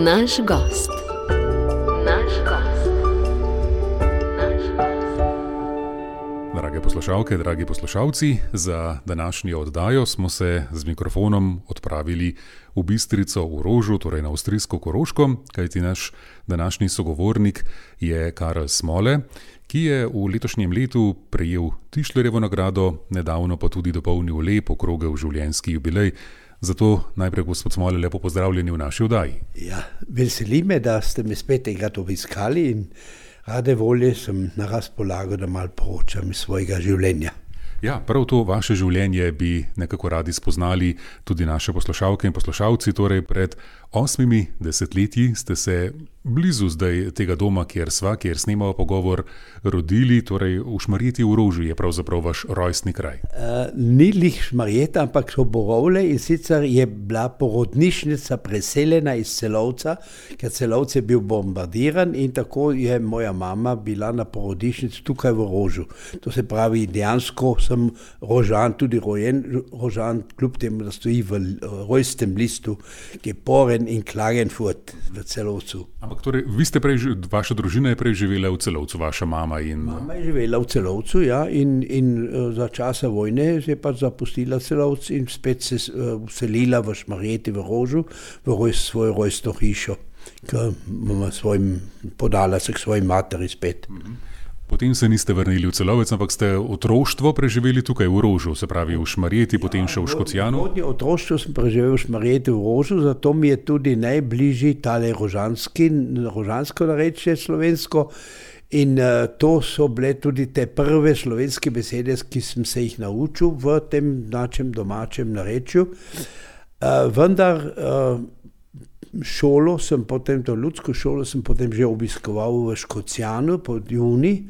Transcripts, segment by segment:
Naš gost. Drage poslušalke, dragi poslušalci, za današnjo oddajo smo se z mikrofonom odpravili v Bistrico v Rožu, torej na avstrijsko Koroško, kajti naš današnji sogovornik je Karel Smole, ki je v letošnjem letu prejel Tischlerjevo nagrado, nedavno pa tudi dopolnil lep okrogel življenjski jubilej. Zato najprej, gospod Smole, lepo pozdravljeni v naši oddaji. Ja, veseli me, da ste me spet enkrat obiskali in rade volje sem na razpolago, da malo poročam iz svojega življenja. Ja, prav to vaše življenje bi nekako radi spoznali tudi naše poslušalke in poslušalci. Torej, pred 8 desetletji ste se blizu zdaj tega doma, kjer snemamo pogovor, rodili, torej v Šmarjeti v Rožu je pravzaprav vaš rojstni kraj. Ni lih Šmarjeta, ampak so Borovle, in sicer je bila porodnišnica preseljena iz Celovca, ker Celovec je bil bombardiran in tako je moja mama bila na porodnišnici tukaj v Rožu. To se pravi, dejansko sem Rožan, tudi rojen Rožan, kljub temu, da stoji v rojstnem listu Geboren in Klagenfurt v Celovcu. Ampak torej, vaša družina je prej živela v Celovcu, vaša mama in... Mama je živela v Celovcu, ja, in za časa vojne se je pa zapustila Celovc in spet se vselila v Šmarjeti v Rožu, v svojo rojstno hišo, ki mama podala se k svoji materi spet. Potem se niste vrnili v Celovec, ampak ste otroštvo preživeli tukaj v Rožu, se pravi v Šmarjeti, potem še v Škocjanu. Otroštvo sem preživel v Šmarjeti v Rožu, zato mi je tudi najbližji tale rožansko narečje slovensko. In to so bile tudi te prve slovenske besede, ki sem se jih naučil v tem našem domačem narečju. Vendar šolo sem potem, to ljudsko šolo sem potem že obiskoval v Škocjanu pod juni.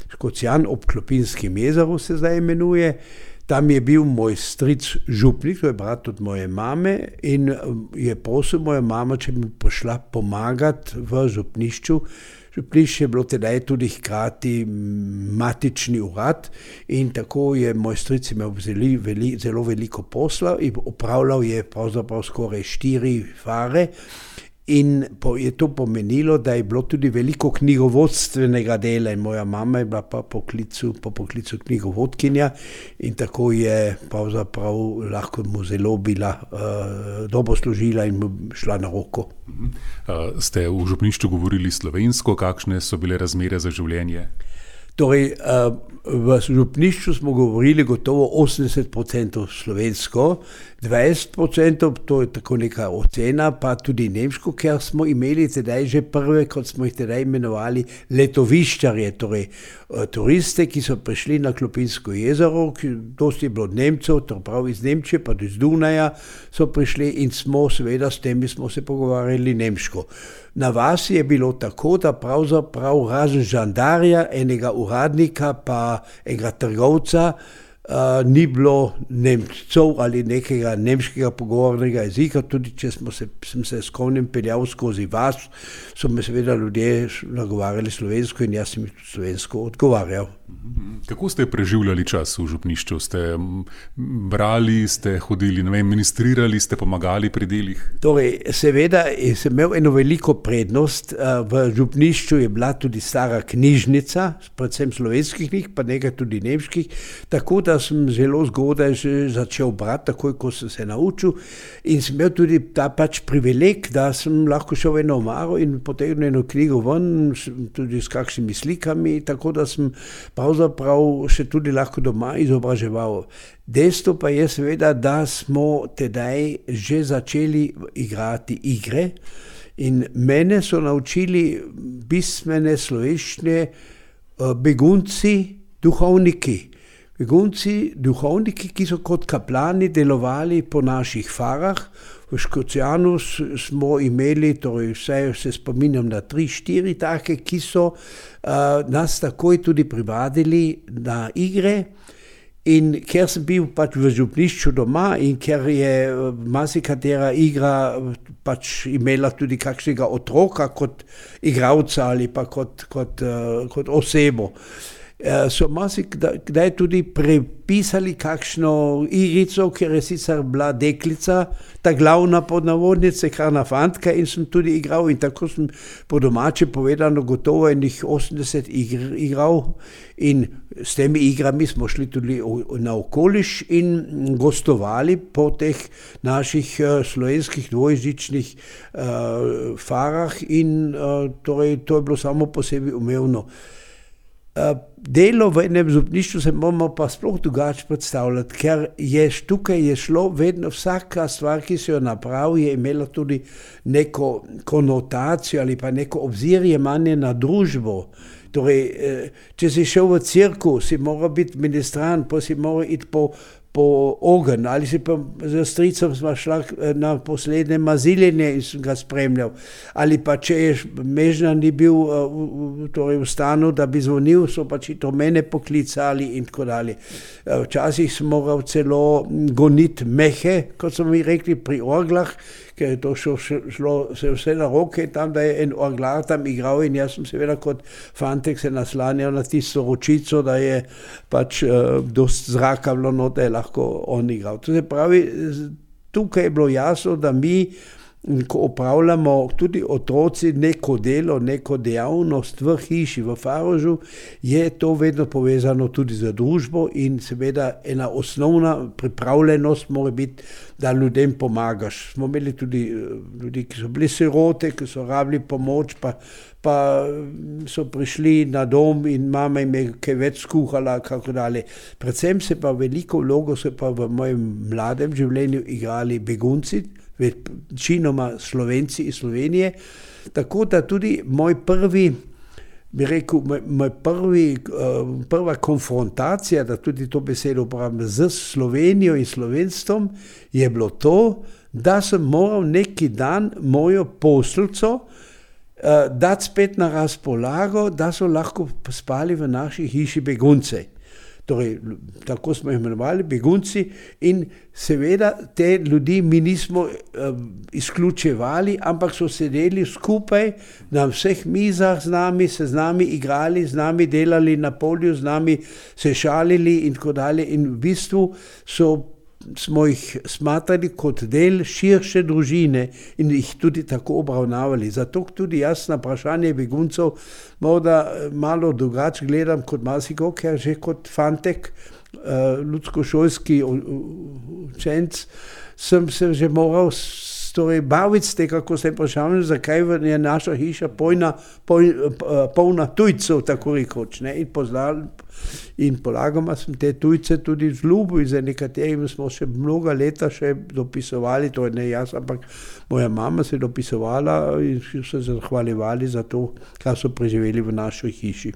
Škocjan ob Klopinskem jezeru se zdaj imenuje. Tam je bil moj stric župnik, to je brat od moje mame, in je prosil moja mama, če bi prišla pomagati v župnišču. Župnišče je bilo tedaj tudi hkrati matični urad in tako je moj stric imel zelo veliko posla in opravljal je pravzaprav skoraj 4 fare. In je to pomenilo, da je bilo tudi veliko knjigovodstvenega dela in moja mama je bila pa po poklicu knjigovodkinja in tako je pravzaprav lahko mu zelo bila dobro služila in mu šla na roko. Ste v župnišču govorili slovensko, kakšne so bile razmere za življenje? Torej, v župnišču smo govorili gotovo 80% slovensko, 20%, to je tako neka ocena, pa tudi nemško, ker smo imeli tedaj že prve, kot smo jih tedaj imenovali, letoviščarje, torej turiste, ki so prišli na Klopinsko jezero, dosti je bilo Nemcev, to prav iz Nemčije, pa iz Dunaja so prišli in seveda s temi smo se pogovarjali nemško. Na vasi je bilo tako, da pravzaprav razen žandarja, enega uradnika pa enega trgovca, ni bilo Nemcev ali nekega nemškega pogovornega jezika, tudi če sem se s konjem peljal skozi vas, so me seveda ljudje nagovarjali slovensko in jaz sem jih slovensko odgovarjal. Kako ste preživljali čas v župnišču? Ste brali, ste hodili, ministrirali, ste pomagali pri delih? Torej, seveda sem imel eno veliko prednost. V župnišču je bila tudi stara knjižnica, predvsem slovenskih knjig, pa nekaj tudi nemških, tako da sem zelo zgodaj že začel brati, takoj ko sem se naučil in sem imel tudi ta privileg, da sem lahko šel v eno omaro in potegnil eno knjigo ven, tudi s kakšnimi slikami, tako da sem pravzaprav še tudi lahko doma izobraževal. Dejstvo pa je seveda, da smo tedaj že začeli igrati igre in mene so naučili pismene slovenščine begunci, duhovniki. Duhovniki, ki so kot kaplani delovali po naših farah. V Škocjanu smo imeli, torej vse se spominjam na 3-4 take, ki so nas takoj tudi privadili na igre. In ker sem bil v župnišču doma in ker je marsikatera igra imela tudi kakšnega otroka kot igralca ali pa kot osebo. So marsikdaj tudi prepisali kakšno igrico, ker je sicer bila deklica, ta glavna pod navodnice, karna fantka in sem tudi igral in tako sem po domače povedano gotovo enih 80 igr igral in s temi igrami smo šli tudi na okoliš in gostovali po teh naših slovenskih dvojezičnih farah in torej to je bilo samo po sebi umevno. Delo v enem župništvu se moramo pa sploh drugače predstavljati, ker tukaj je šlo vedno vsaka stvar, ki se jo napravi, je imela tudi neko konotacijo ali pa neko obzirje manje na družbo. Torej, če si šel v cirkus, si moral biti ministrant, pa si moral iti po ogenj, ali si pa z stricem sva šla na poslednje maziljenje in sem ga spremljal. Ali pa če je Mežna ni bil torej v stanu, da bi zvonil, so pač to mene poklicali in tako dalje. Včasih sem moral celo goniti mehe, kot so mi rekli, pri orglah, ker je to šlo se vse na roke, tam da je en orglar tam igral in jaz sem seveda kot fantek se naslanjal na tisto ročico, da je pač dost zraka bilo not, da je lahko on igral. To se pravi, tukaj je bilo jasno, da mi, ko opravljamo tudi otroci neko delo, neko dejavnost v hiši, v Farožu, je to vedno povezano tudi z družbo in seveda ena osnovna pripravljenost mora biti, da ljudem pomagaš. Smo imeli tudi ljudi, ki so bili sirote, ki so rabili pomoč, pa so prišli na dom in mama jim je kaj več skuhala, kako dalje. Predvsem se pa veliko vlogo se pa v mojem mladem življenju igrali begunci, večinoma Slovenci iz Slovenije, tako da tudi prva konfrontacija, da tudi to besedo uporabljam, z Slovenijo in slovenstvom je bilo to, da sem moral neki dan mojo posteljco dati spet na razpolago, da so lahko spali v naši hiši begunci. Torej, tako smo jih imenovali, begunci, in seveda te ljudi mi nismo izključevali, ampak so sedeli skupaj na vseh mizah z nami, se z nami igrali, z nami delali na polju, z nami se šalili in tako dalje. In v bistvu smo jih smatrali kot del širše družine in jih tudi tako obravnavali. Zato tudi jaz na vprašanje beguncev morda malo drugače gledam kot marsiko, ker že kot fantek, ljudskošolski učenec, sem se že moral baviti s tega, kako se vprašam, zakaj je naša hiša polna tujcev, tako rekoč, ne, in polagoma sem te tujce tudi vzljubil in za nekaterimi smo še mnoga leta še dopisovali, to je ne jaz, ampak moja mama se je dopisovala in so se zahvaljevali za to, kar so preživeli v naši hiši.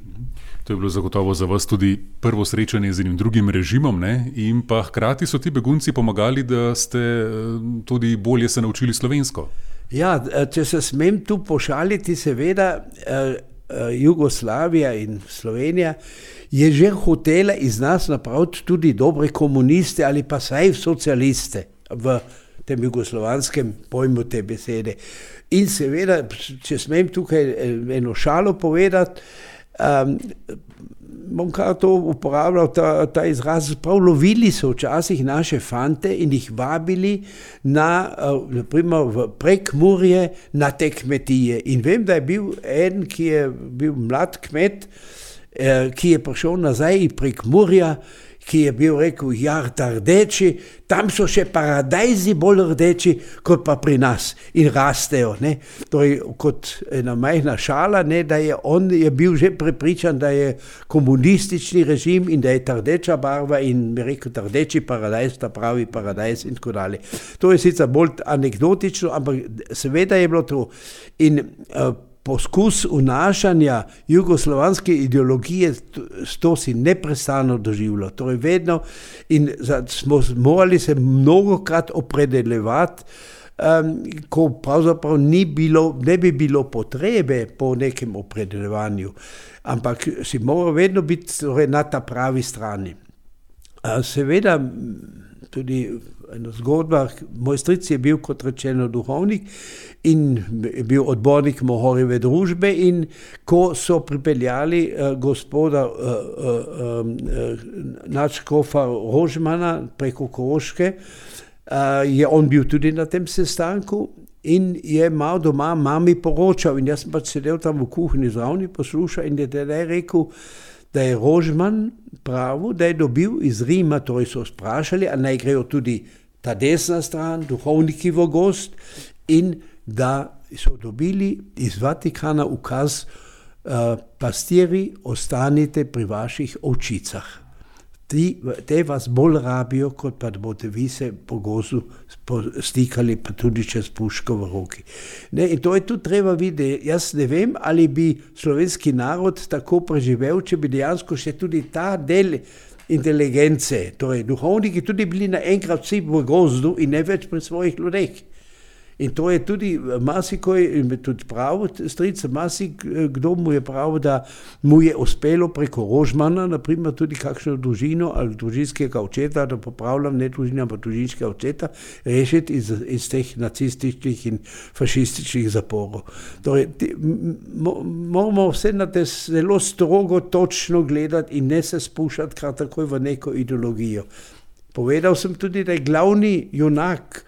To je bilo zagotovo za vas tudi prvo srečanje z enim drugim režimom, ne? In pa hkrati so ti begunci pomagali, da ste tudi bolje se naučili slovensko. Ja, če se smem tu pošaliti, seveda Jugoslavija in Slovenija je že hotela iz nas napraviti tudi dobre komuniste ali pa saj socialiste v tem jugoslovanskem pojmu te besede. In seveda, če smem tukaj eno šalo povedati, bom kar to uporabljal, ta izraz, prav lovili so včasih naše fante in jih vabili naprimer v Prekmurje na te kmetije. In vem, da je bil en, ki je bil mlad kmet, ki je prišel nazaj iz Prekmurja, ki je bil rekel, rdeči, tam so še paradajzi bolj rdeči, kot pa pri nas in rastejo. Ne? Torej, kot ena majhna šala, ne, da on je bil že prepričan, da je komunistični režim in da je ta rdeča barva in bi rekel, ta rdeči paradajz, ta pravi paradajz in tako dalje. To je sicer bolj anekdotično, ampak seveda je bilo to. In poskus vnašanja jugoslovanske ideologije, to si neprestano doživljalo. Torej vedno in smo morali se mnogokrat opredeljevati, ko pravzaprav ne bi bilo potrebe po nekem opredeljevanju, ampak si moral vedno biti torej na ta pravi strani. Seveda tudi ena zgodba. Moj stric je bil, kot rečeno, duhovnik in je bil odbornik Mohorjeve družbe, in ko so pripeljali gospoda nadškofa Rožmana preko Koroške, je on bil tudi na tem sestanku in je mal doma mami poročal, in jaz sem pač sedel tam v kuhinji zraven in poslušal, in je tedaj rekel, da je Rožman pravil, da je dobil iz Rima, torej so sprašali, a naj grejo tudi ta desna stran, duhovniki v gost, in da so dobili iz Vatikana ukaz, pastiri, ostanite pri vaših ovčicah. Te vas bolj rabijo, kot pa da boste vi se po gozdu stikali, pa tudi čez puško v roki. Ne, in to je tudi treba videti. Jaz ne vem, ali bi slovenski narod tako preživel, če bi dejansko še tudi ta del inteligence, torej duhovniki, tudi bili naenkrat vsi v gozdu in ne več pri svojih ljudeh. In to je tudi marsikoj, tudi prav, stric, marsikdo mu je prav, da mu je uspelo preko Rožmana, naprimer tudi kakšno družino ali družinskega očeta, da popravljam, ne družina, pa družinskega očeta, rešiti iz teh nacističnih in fašističnih zaporov. Torej, moramo vse na te zelo strogo, točno gledati in ne se spuščati kar takoj v neko ideologijo. Povedal sem tudi, da je glavni junak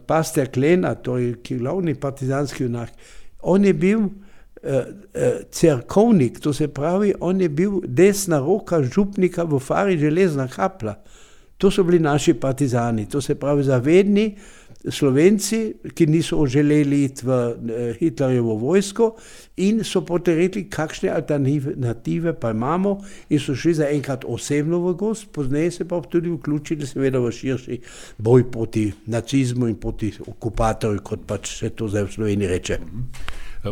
Pastor Klena, to je glavni partizanski junak, on je bil cerkovnik, to se pravi, on je bil desna roka župnika v Fari Železna Kapla. To so bili naši partizani, to se pravi zavedni Slovenci, ki niso želeli iti v Hitlerjevo vojsko in so potem rekli, kakšne alternative pa imamo, in so šli zaenkrat osebno v gost, pozneje se pa tudi vključili seveda v širši boj proti nacizmu in proti okupatorju, kot pač se to zdaj v Sloveniji reče.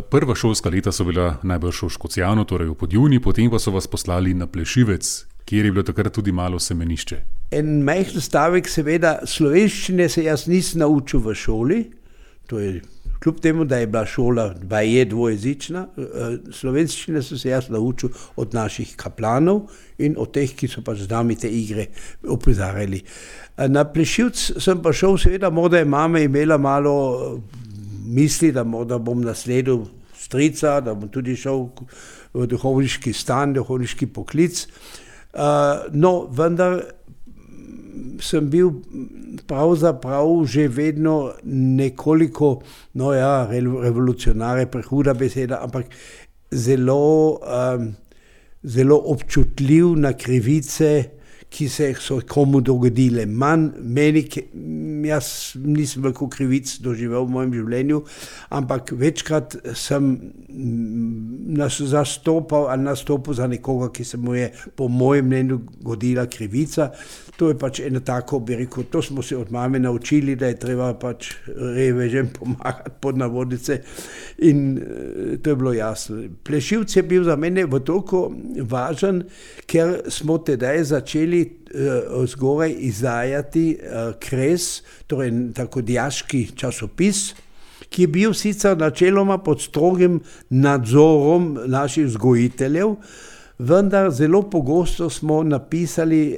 Prva šolska leta so bila najbrž v Škocjanu, torej v Podjuni, potem pa so vas poslali na Plešivec, kjer je bilo takrat tudi malo semenišče. En majhen stavek, seveda, slovenščine se jaz nisem naučil v šoli, to je kljub temu, da je bila šola dvojezična, slovenščine sem se jaz naučil od naših kaplanov in od teh, ki so pač z nami te igre opozarjali. Na Plešivc sem pa šel, seveda, morda je mama imela malo misli, da morda bom nasledil strica, da bom tudi šel v duhovniški stan, duhovniški poklic. No, vendar sem bil pravzaprav že vedno nekoliko, revolucionar je prehuda beseda, ampak zelo občutljiv na krivice, ki se so komu dogodile. Jaz nisem veliko krivic doživel v mojem življenju, ampak večkrat sem nastopil za nekoga, ki se mu je po mojem mnenju godila krivica. To je pač eno tako, bi rekel, to smo se od mame naučili, da je treba pač revežem pomagati pod navodnice, in to je bilo jasno. Plešivc je bil za mene v toliko važen, ker smo tedaj začeli zgoraj izdajati Kres, torej tako dijaški časopis, ki je bil sicer načeloma pod strogim nadzorom naših vzgojiteljev, vendar zelo pogosto smo napisali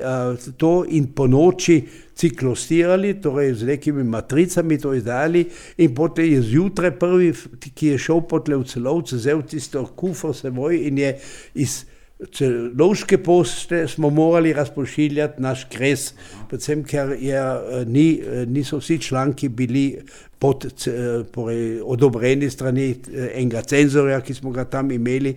to in po noči ciklostirali, torej z nekimi matricami to izdajali, in potem je zjutraj prvi, ki je šel potle v Celovce, vzel tisto kufr seboj in je iz Celovške pošte smo morali razpošiljati naš Kres, predvsem ker niso vsi članki bili odobreni strani enega cenzorja, ki smo ga tam imeli.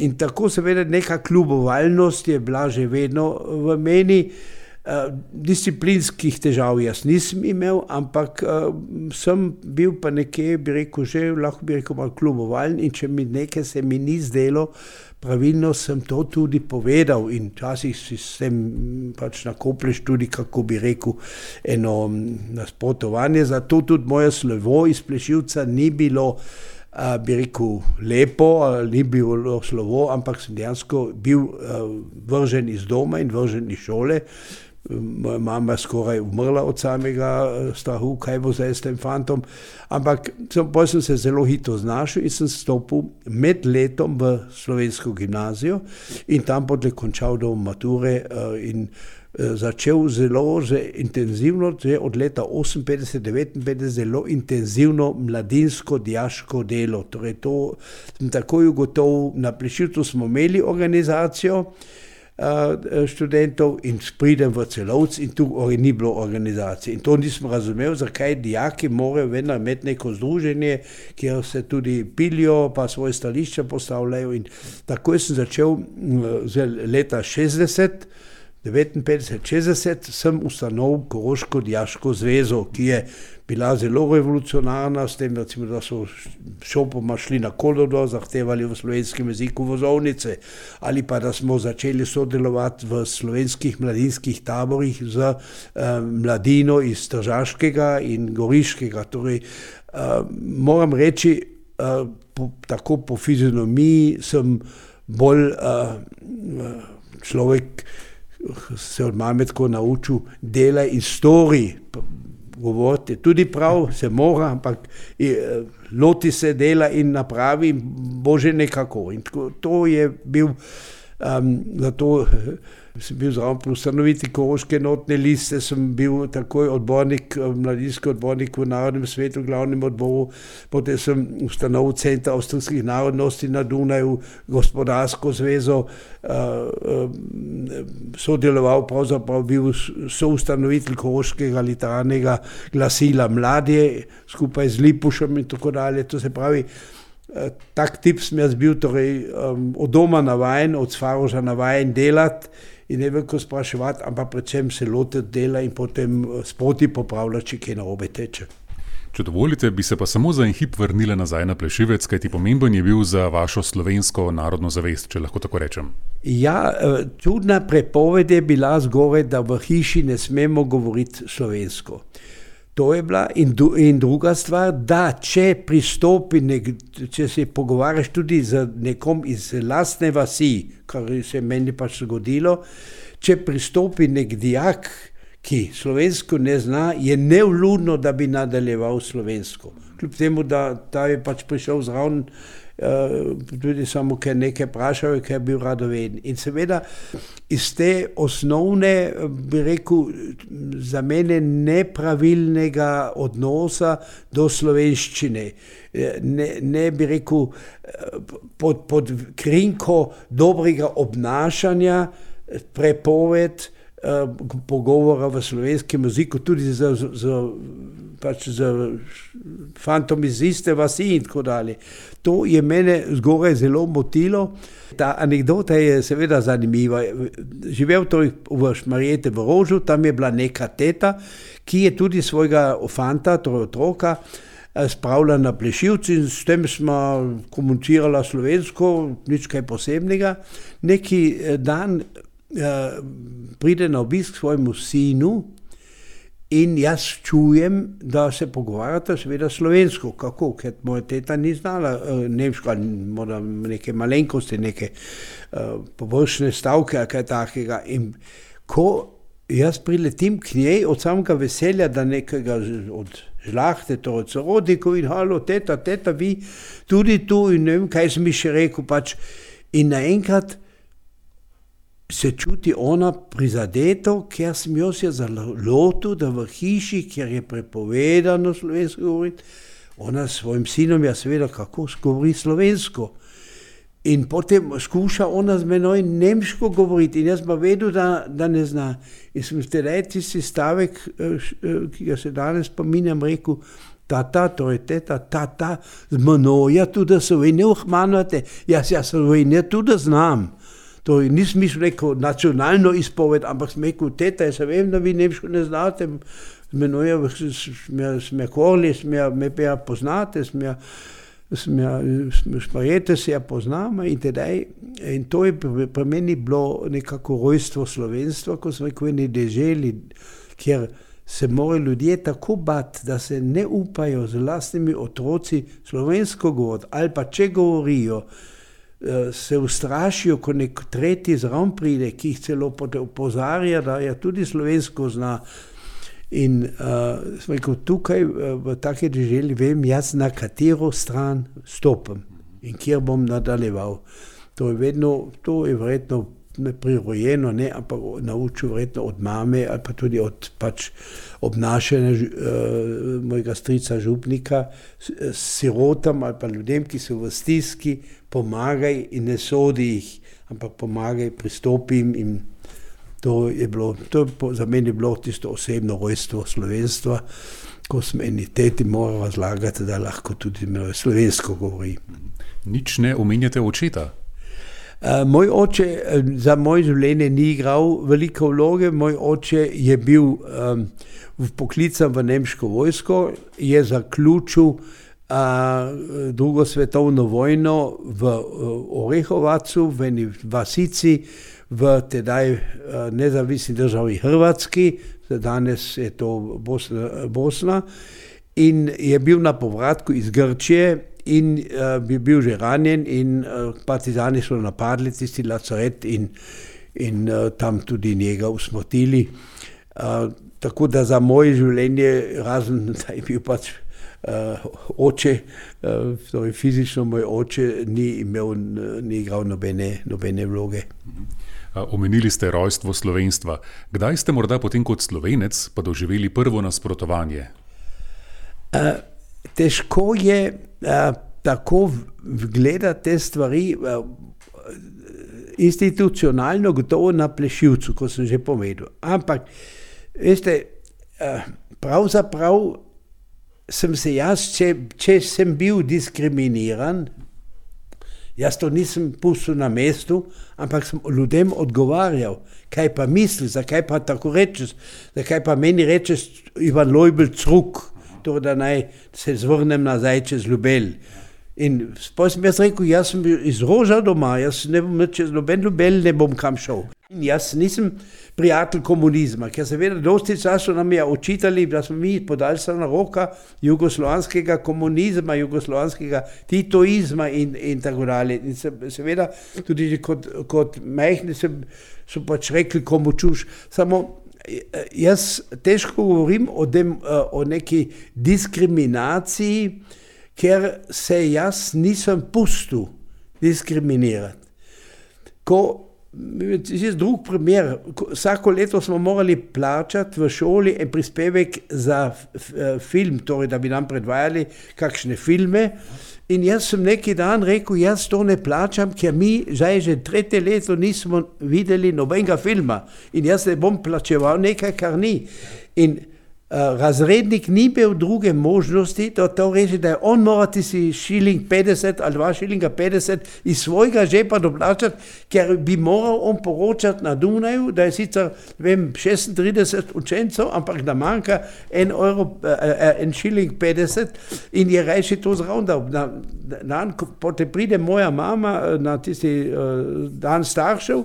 In tako seveda neka kljubovalnost je bila že vedno v meni. Disciplinskih težav jaz nisem imel, ampak sem bil pa nekje, bi rekel, že lahko bi rekel malo kljubovalen, in če mi nekaj se mi ni zdelo pravilno, sem to tudi povedal, in včasih si s tem pač nakoplješ tudi, kako bi rekel, eno nasprotovanje. Zato tudi moje slovo iz Plešivca ni bilo, bi rekel, lepo, ni bilo slovo, ampak sem dejansko bil vržen iz doma in vržen iz šole. Moja mama je skoraj umrla od samega strahu, kaj bo zdaj s tem fantom, ampak potem sem se zelo hitro znašel in sem stopil med letom v slovensko gimnazijo in tam potem končal do mature in začel zelo intenzivno, že od leta 58-59 zelo intenzivno mladinsko dijaško delo. Torej to sem takoj ugotovil, na Plešivcu smo imeli organizacijo študentov in pridem v Celovec in tu ni bilo organizacije. In to nisem razumel, zakaj dijaki morajo vedno imeti neko združenje, kjer se tudi pilijo, pa svoje stališča postavljajo. In takoj sem začel leta 59-60 sem ustanovil Koroško dijaško zvezo, ki je bila zelo revolucionarna, s tem, recimo, da so šopoma šli na Kododo, zahtevali v slovenskem jeziku vozovnice, ali pa da smo začeli sodelovati v slovenskih mladinskih taborih z mladino iz Tržaškega in Goriškega. Torej, moram reči, tako po fizionomiji sem bolj človek, se od mame tako naučil, dela in stori. Govoriti tudi prav, se mora, ampak loti se dela in napravi, bo že nekako. In to je bil, zato sem bil zraven pri ustanovitvi Koroške enotne liste, sem bil takoj odbornik, mladinski odbornik v Narodnem svetu, v glavnem odboru, potem sem ustanovil Center avstrijskih narodnosti na Dunaju, gospodarsko zvezo, sodeloval, pravzaprav bil soustanovitelj Koroškega literarnega glasila Mladje, skupaj z Lipušem in tako dalje. To se pravi, tak tip sem jaz bil, torej od doma navajen, od Svaroža navajen delati in ne veliko spraševati, ampak predvsem se lotiti dela in potem sproti popravljati, če kaj narobe teče. Če dovolite, bi se pa samo za en hip vrnila nazaj na Plešivec, kajti pomemben je bil za vašo slovensko narodno zavest, če lahko tako rečem. Ja, čudna prepoved je bila zgoraj, da v hiši ne smemo govoriti slovensko. To je bila in druga stvar, da če če se pogovarjaš tudi z nekom iz lastne vasi, kar se meni pač zgodilo, če pristopi nek dijak, ki slovensko ne zna, je nevljudno, da bi nadaljeval slovensko. Kljub temu, da ta je pač prišel zraven, tudi samo, ker nekaj vprašal, ker je bil radoveden. In seveda iz te osnovne, bi rekel, za mene nepravilnega odnosa do slovenščine, ne bi rekel, pod krinko dobrega obnašanja, prepoved pogovora v slovenskem jeziku, tudi z fantom iz iste vasi in tako dalje. To je mene zgoraj zelo motilo. Ta anekdota je seveda zanimiva. Živel v Šmarjete v Rožu, tam je bila neka teta, ki je tudi svojega fanta, torej otroka, spravila na Plešivci in s tem smo komunicirala slovensko, nič kaj posebnega. Neki dan pride na obisk svojemu sinu in jaz čujem, da se pogovarjata seveda slovensko. Kako? Ker moja teta ni znala nemško, ali neke malenkosti, neke površne stavke ali kaj takega. In ko jaz priletim k njej od samega veselja, da nekega od žlahte, torej sorodnikov in halo, teta, vi tudi tu in ne vem, kaj sem mi še rekel pač. In naenkrat se čuti ona prizadeto, ker sem jo se zalotil, da v hiši, kjer je prepovedano slovensko govoriti, ona s svojim sinom, ja seveda, kako govori slovensko. In potem skuša ona z menoj nemško govoriti in jaz pa vedel, da ne zna. In sem tedaj tisti stavek, ki ga se danes spominjam, rekel, tata, torej teta, tata, z menoj, ja tudi Slovenije uhmanjate, jaz Slovenije tudi znam. To nisem mislil neko nacionalno izpoved, ampak sem rekel, teta, jaz vem, da vi nemško ne znate, z menoj sme korli, me pa ja poznate, Šmarjete se ja poznamo in tedaj, in to je pri meni bilo nekako rojstvo slovenstva, ko sem rekel, eni deželi, kjer se morajo ljudje tako bati, da se ne upajo z lastnimi otroci slovensko govoriti, ali pa če govorijo, se ustrašijo, ko nek tretji zraven pride, ki jih celo opozarja, da je tudi slovensko zna. In sem rekel, tukaj v take deželi vem jaz, na katero stran stopim in kjer bom nadaljeval. To je verjetno prirojeno, ne, ampak naučil verjetno od mame ali pa tudi od pač obnašanja mojega strica župnika, sirotam ali pa ljudem, ki so v stiski, pomagaj in ne sodi jih, ampak pomagaj, pristopim in to je za mene bilo tisto osebno rojstvo slovenstva, ko sem eni teti moral razlagati, da lahko tudi slovensko govori. Nič ne omenjate očeta? Moj oče za moje življenje ni igral velike vloge. Moj oče je bil vpoklican v nemško vojsko, je zaključil drugo svetovno vojno v Orehovacu, v eni vasici, v tedaj nezavisni državi Hrvatski, danes je to Bosna, in je bil na povratku iz Grčije in bi bil že ranjen in partizani so napadli tisti lazaret in tam tudi njega usmrtili. Tako da za moje življenje, razen da je bil pač oče, torej fizično moj oče ni igral nobene vloge. Omenili ste rojstvo slovenstva. Kdaj ste morda potem kot Slovenec pa doživeli prvo nasprotovanje? Težko je tako gledati te stvari institucionalno, gotovo na Plešivcu, kot sem že povedal. Ampak, veste, pravzaprav sem se jaz, če sem bil diskriminiran, jaz to nisem pustil na mestu, ampak sem ljudem odgovarjal, kaj pa misliš, zakaj pa tako rečeš, zakaj pa meni rečeš Ivan Lojbel Cruk, to da naj se zvrnem nazaj čez Ljubelj. In potem sem jaz rekel, jaz sem bil iz Roža doma, jaz ne bom čez Ljubelj, ne bom kam šel. In jaz nisem prijatelj komunizma, ker seveda dosti časa nam je očitali, da smo mi podaljšana roka jugoslovanskega komunizma, jugoslovanskega titoizma in tako dalje. In seveda tudi kot majhni so pač rekli, komu čuš. Samo jaz težko govorim o neki diskriminaciji, ker se jaz nisem pustil diskriminirati. Drug primer, vsako leto smo morali plačati v šoli en prispevek za film, torej da bi nam predvajali kakšne filme. In jaz sem neki dan rekel, jaz to ne plačam, ker mi že tretje leto nismo videli nobenega filma. In jaz ne bom plačeval nekaj, kar ni. In razrednik ni bil druge možnosti, da to reči, da je on morati si šiling 50 ali 2 šilinga 50 iz svojega žepa doplačati, ker bi moral on poročati na Dunaju, da je sicer 36 učencev, ampak da manjka 1 šiling 50 in je rajši to zravnal. Potem pride moja mama na tisti dan staršev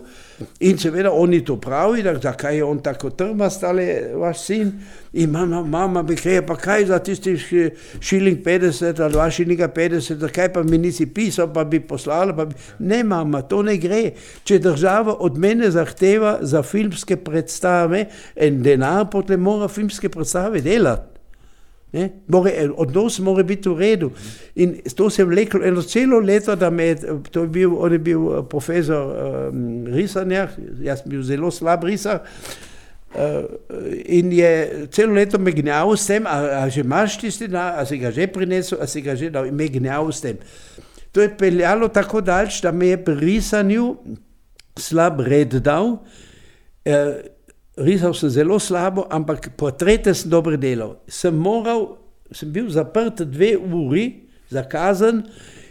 in seveda oni to pravi, da zakaj je on tako trmast, ali vaš sin. In mama bi rekla, pa kaj za tisti šiling 50 ali 2 šilinga 50, zakaj pa mi nisi pisal, pa bi poslala, Ne, mama, to ne gre. Če država od mene zahteva za filmske predstave en denar, potem mora filmske predstave delati. Odnos mora biti v redu. In to se je vleklo eno celo leto, on je bil profesor risanja, jaz sem bil zelo slab risar, in je celo leto me gnjal s tem, a že imaš tisti denar, a si ga že prinesel, a si ga že dal, in me gnjal s tem. To je peljalo tako daleč, da me je pri risanju slab red dal. Risal sem zelo slabo, ampak portrete sem dobro delal. Sem bil zaprt 2 uri za kazen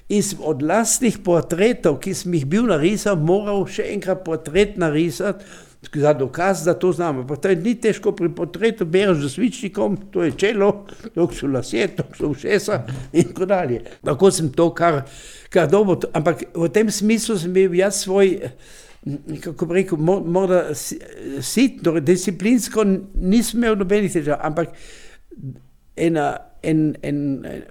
in sem od lastnih portretov, ki sem jih bil narisal, moral še enkrat portret narisati, za dokaz, da to znam. Pa to je ni težko pri portretu, bereš z svičnikom, to je čelo, to so lasje, to so ušesa in tako dalje. Tako sem to kar dobro, ampak v tem smislu sem bil jaz svoj, kako bi rekel, morda sitno, disciplinsko nisem imel nobenih težav, ampak en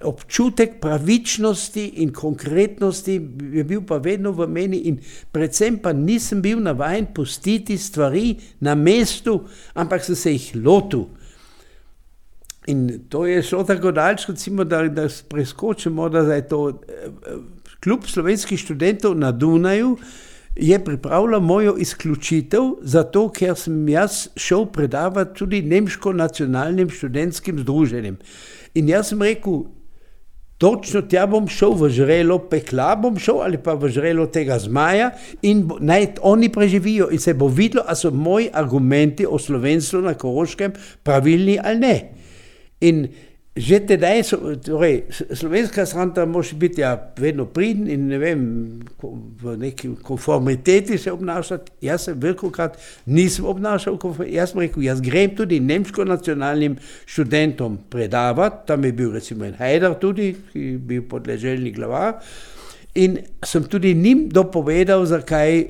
občutek pravičnosti in konkretnosti je bil pa vedno v meni in predvsem pa nisem bil navajen pustiti stvari na mestu, ampak sem se jih lotil. In to je šlo tako daleč, recimo, da preskočimo, da je to klub slovenskih študentov na Dunaju, je pripravila mojo izključitev, zato ker sem jaz šel predavati tudi nemško nacionalnim študentskim združenjem. In jaz sem rekel, točno tja bom šel, v žrelo pekla bom šel ali pa v žrelo tega zmaja in naj oni preživijo in se bo videlo, a so moji argumenti o slovenstvu na Koroškem pravilni ali ne. In že tedaj torej, slovenska strana može biti vedno pridn in ne vem, v neki konformiteti se obnašati. Jaz se velikokrat nisem obnašal, jaz sem rekel, jaz grem tudi nemško nacionalnim študentom predavati, tam je bil recimo en Hajdar tudi, ki je bil podleželjni glavar, in sem tudi njim dopovedal, zakaj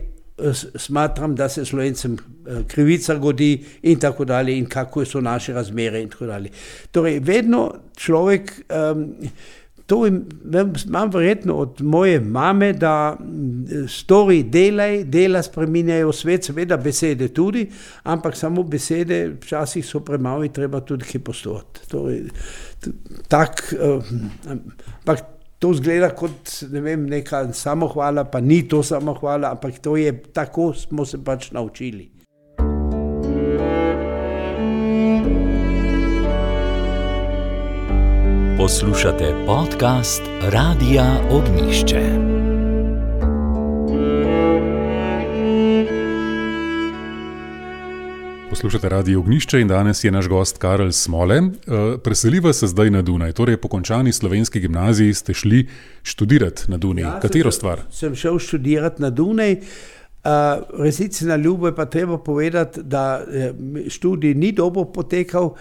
smatram, da se Slovencem krivica godi in tako dalje in kako so naše razmere in tako dalje. Torej, vedno človek, to imam verjetno od moje mame, da stori, dela spreminjajo svet, seveda besede tudi, ampak samo besede včasih so premalo in treba tudi kaj postoriti. Torej, ampak to zgleda kot, ne vem, neka samohvala, pa ni to samohvala, ampak to je, tako smo se pač naučili. Poslušate podcast Radia Ognjišče. Poslušate Radio Ognjišče in danes je naš gost Karel Smole. Preseliva se zdaj na Dunaj, torej po končani slovenski gimnaziji ste šli študirati na Dunaj. Ja, katero stvar? Sem šel študirati na Dunaj. Resnici na ljubo je pa treba povedati, da študij ni dobro potekal.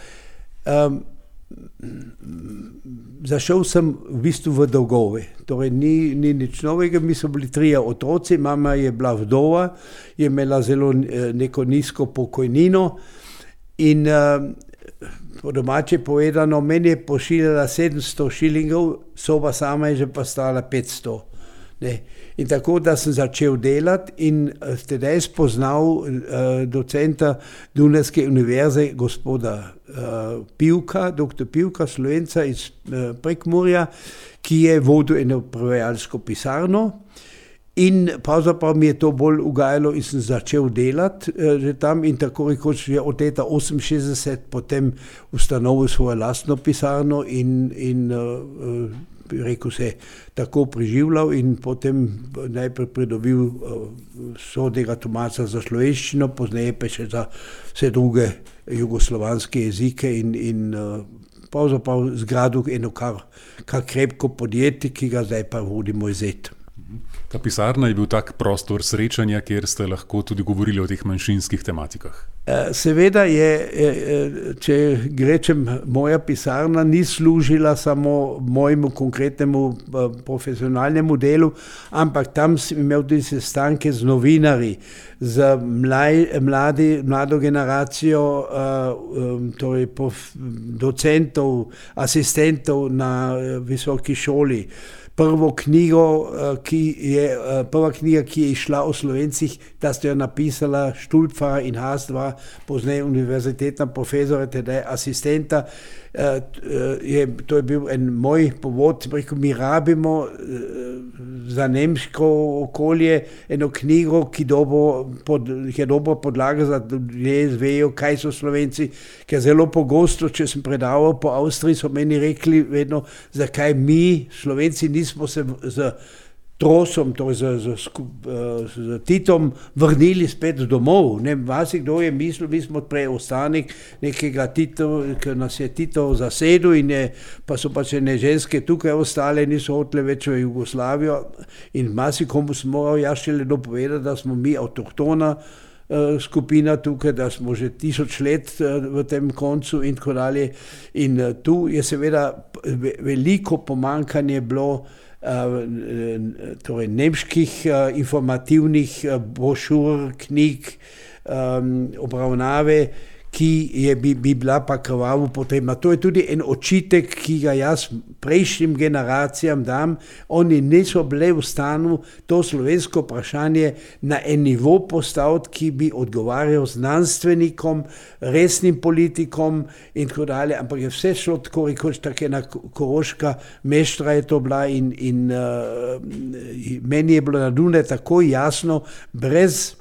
Zašel sem v bistvu v dolgove, torej ni nič novega, mi so bili 3 otroci, mama je bila vdova, je imela zelo neko nizko pokojnino in po domače povedano, meni je pošiljala 700 šilingov, soba sama je že pa stala 500. Ne. In tako, da sem začel delati in tedaj spoznal docenta Dunajske univerze, gospoda Pivka, doktor Pivka, Slovenca iz Prekmurja, ki je vodil eno prevajalsko pisarno. In pravzaprav mi je to bolj ugajalo in sem začel delati že tam in tako rekoč že od leta 68 potem ustanovil svojo lastno pisarno in rekel se, tako preživljal in potem najprej pridobil sodnega tolmača za slovenščino, pozneje pa še za vse druge jugoslovanske jezike in pravzaprav zgradil eno kar krepko podjetje, ki ga zdaj pa vodi moj zet. Ta pisarna je bil tak prostor srečanja, kjer ste lahko tudi govorili o teh manjšinskih tematikah. Seveda je, če rečem, moja pisarna ni služila samo mojemu konkretnemu profesionalnemu delu, ampak tam sem imel tudi sestanke z novinarji, z mlado generacijo, torej docentov, asistentov na visoki šoli. Prva knjiga, ki je izšla o Slovencih, da ste jo napisala Štulpfar in Haas 2, pozneje univerzitetna profesora, teda asistenta. To je bil en moj povod, rekel, mi rabimo za nemško okolje eno knjigo, ki je dobra podlaga za ljudje zvejo, kaj so Slovenci, ker zelo pogosto, če sem predaval po Avstriji, so meni rekli vedno, zakaj mi, Slovenci, nismo se z Trosom, torej z Titom vrnili spet domov. Kdo je mislil, mi smo preostanek nekega Tito, ki nas je Tito zasedel pa so pač ene ženske tukaj ostale, niso hotele več v Jugoslavijo in marsikomu sem moral jaz šele dopovedati, da smo mi avtohtona skupina tukaj, da smo že 1000 let v tem koncu in tako dalje. In tu je seveda veliko pomanjkanje bilo torej nemških informativnih brošur, knjig, obravnave, ki bi bila pa krvavo potrebna. To je tudi en očitek, ki ga jaz prejšnjim generacijam dam. Oni niso bili v stanju to slovensko vprašanje na en nivo postaviti, ki bi odgovarjal znanstvenikom, resnim politikom in tako dalje, ampak je vse šlo tako rekoč, tako ena koroška meštra je to bila in meni je bilo na Dunaju tako jasno, brez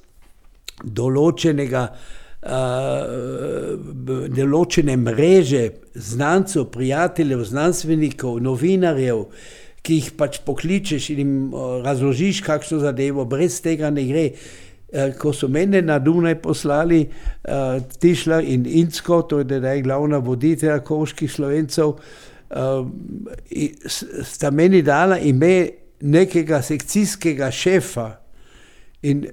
določene mreže znancev, prijateljev, znanstvenikov, novinarjev, ki jih pač pokličeš in jim razložiš kakšno zadevo, brez tega ne gre. Ko so mene na Dunaj poslali Tišler in Incko, to je zdaj glavna voditelja koroških Slovencev, sta meni dala ime nekega sekcijskega šefa. In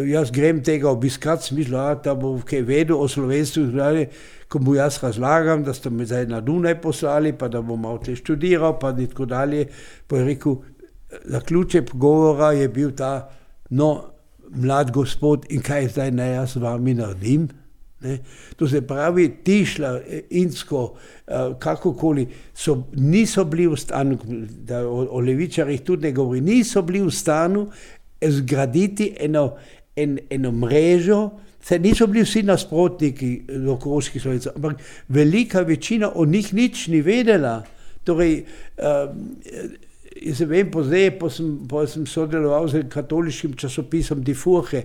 jaz grem tega obiskati, smislu, da bo kaj vedel o slovenstvu, ko mu jaz razlagam, da ste me zdaj na Dunaj poslali, pa da bom malo tle študiral, pa in tako dalje. Pa je rekel, zaključek pogovora je bil ta, mlad gospod, in kaj zdaj naj jaz z vami naredim? Ne? To se pravi, Tišler, Incko, kakokoli, niso bili v stanu, da o levičarjih tudi ne govori, niso bili v stanu zgraditi eno mrežo, saj niso bili vsi nasprotniki do koroških Slovencev, ampak velika večina od njih nič ni vedela. Torej, jaz se vem, pa sem sodeloval z katoliškim časopisom Die Furche.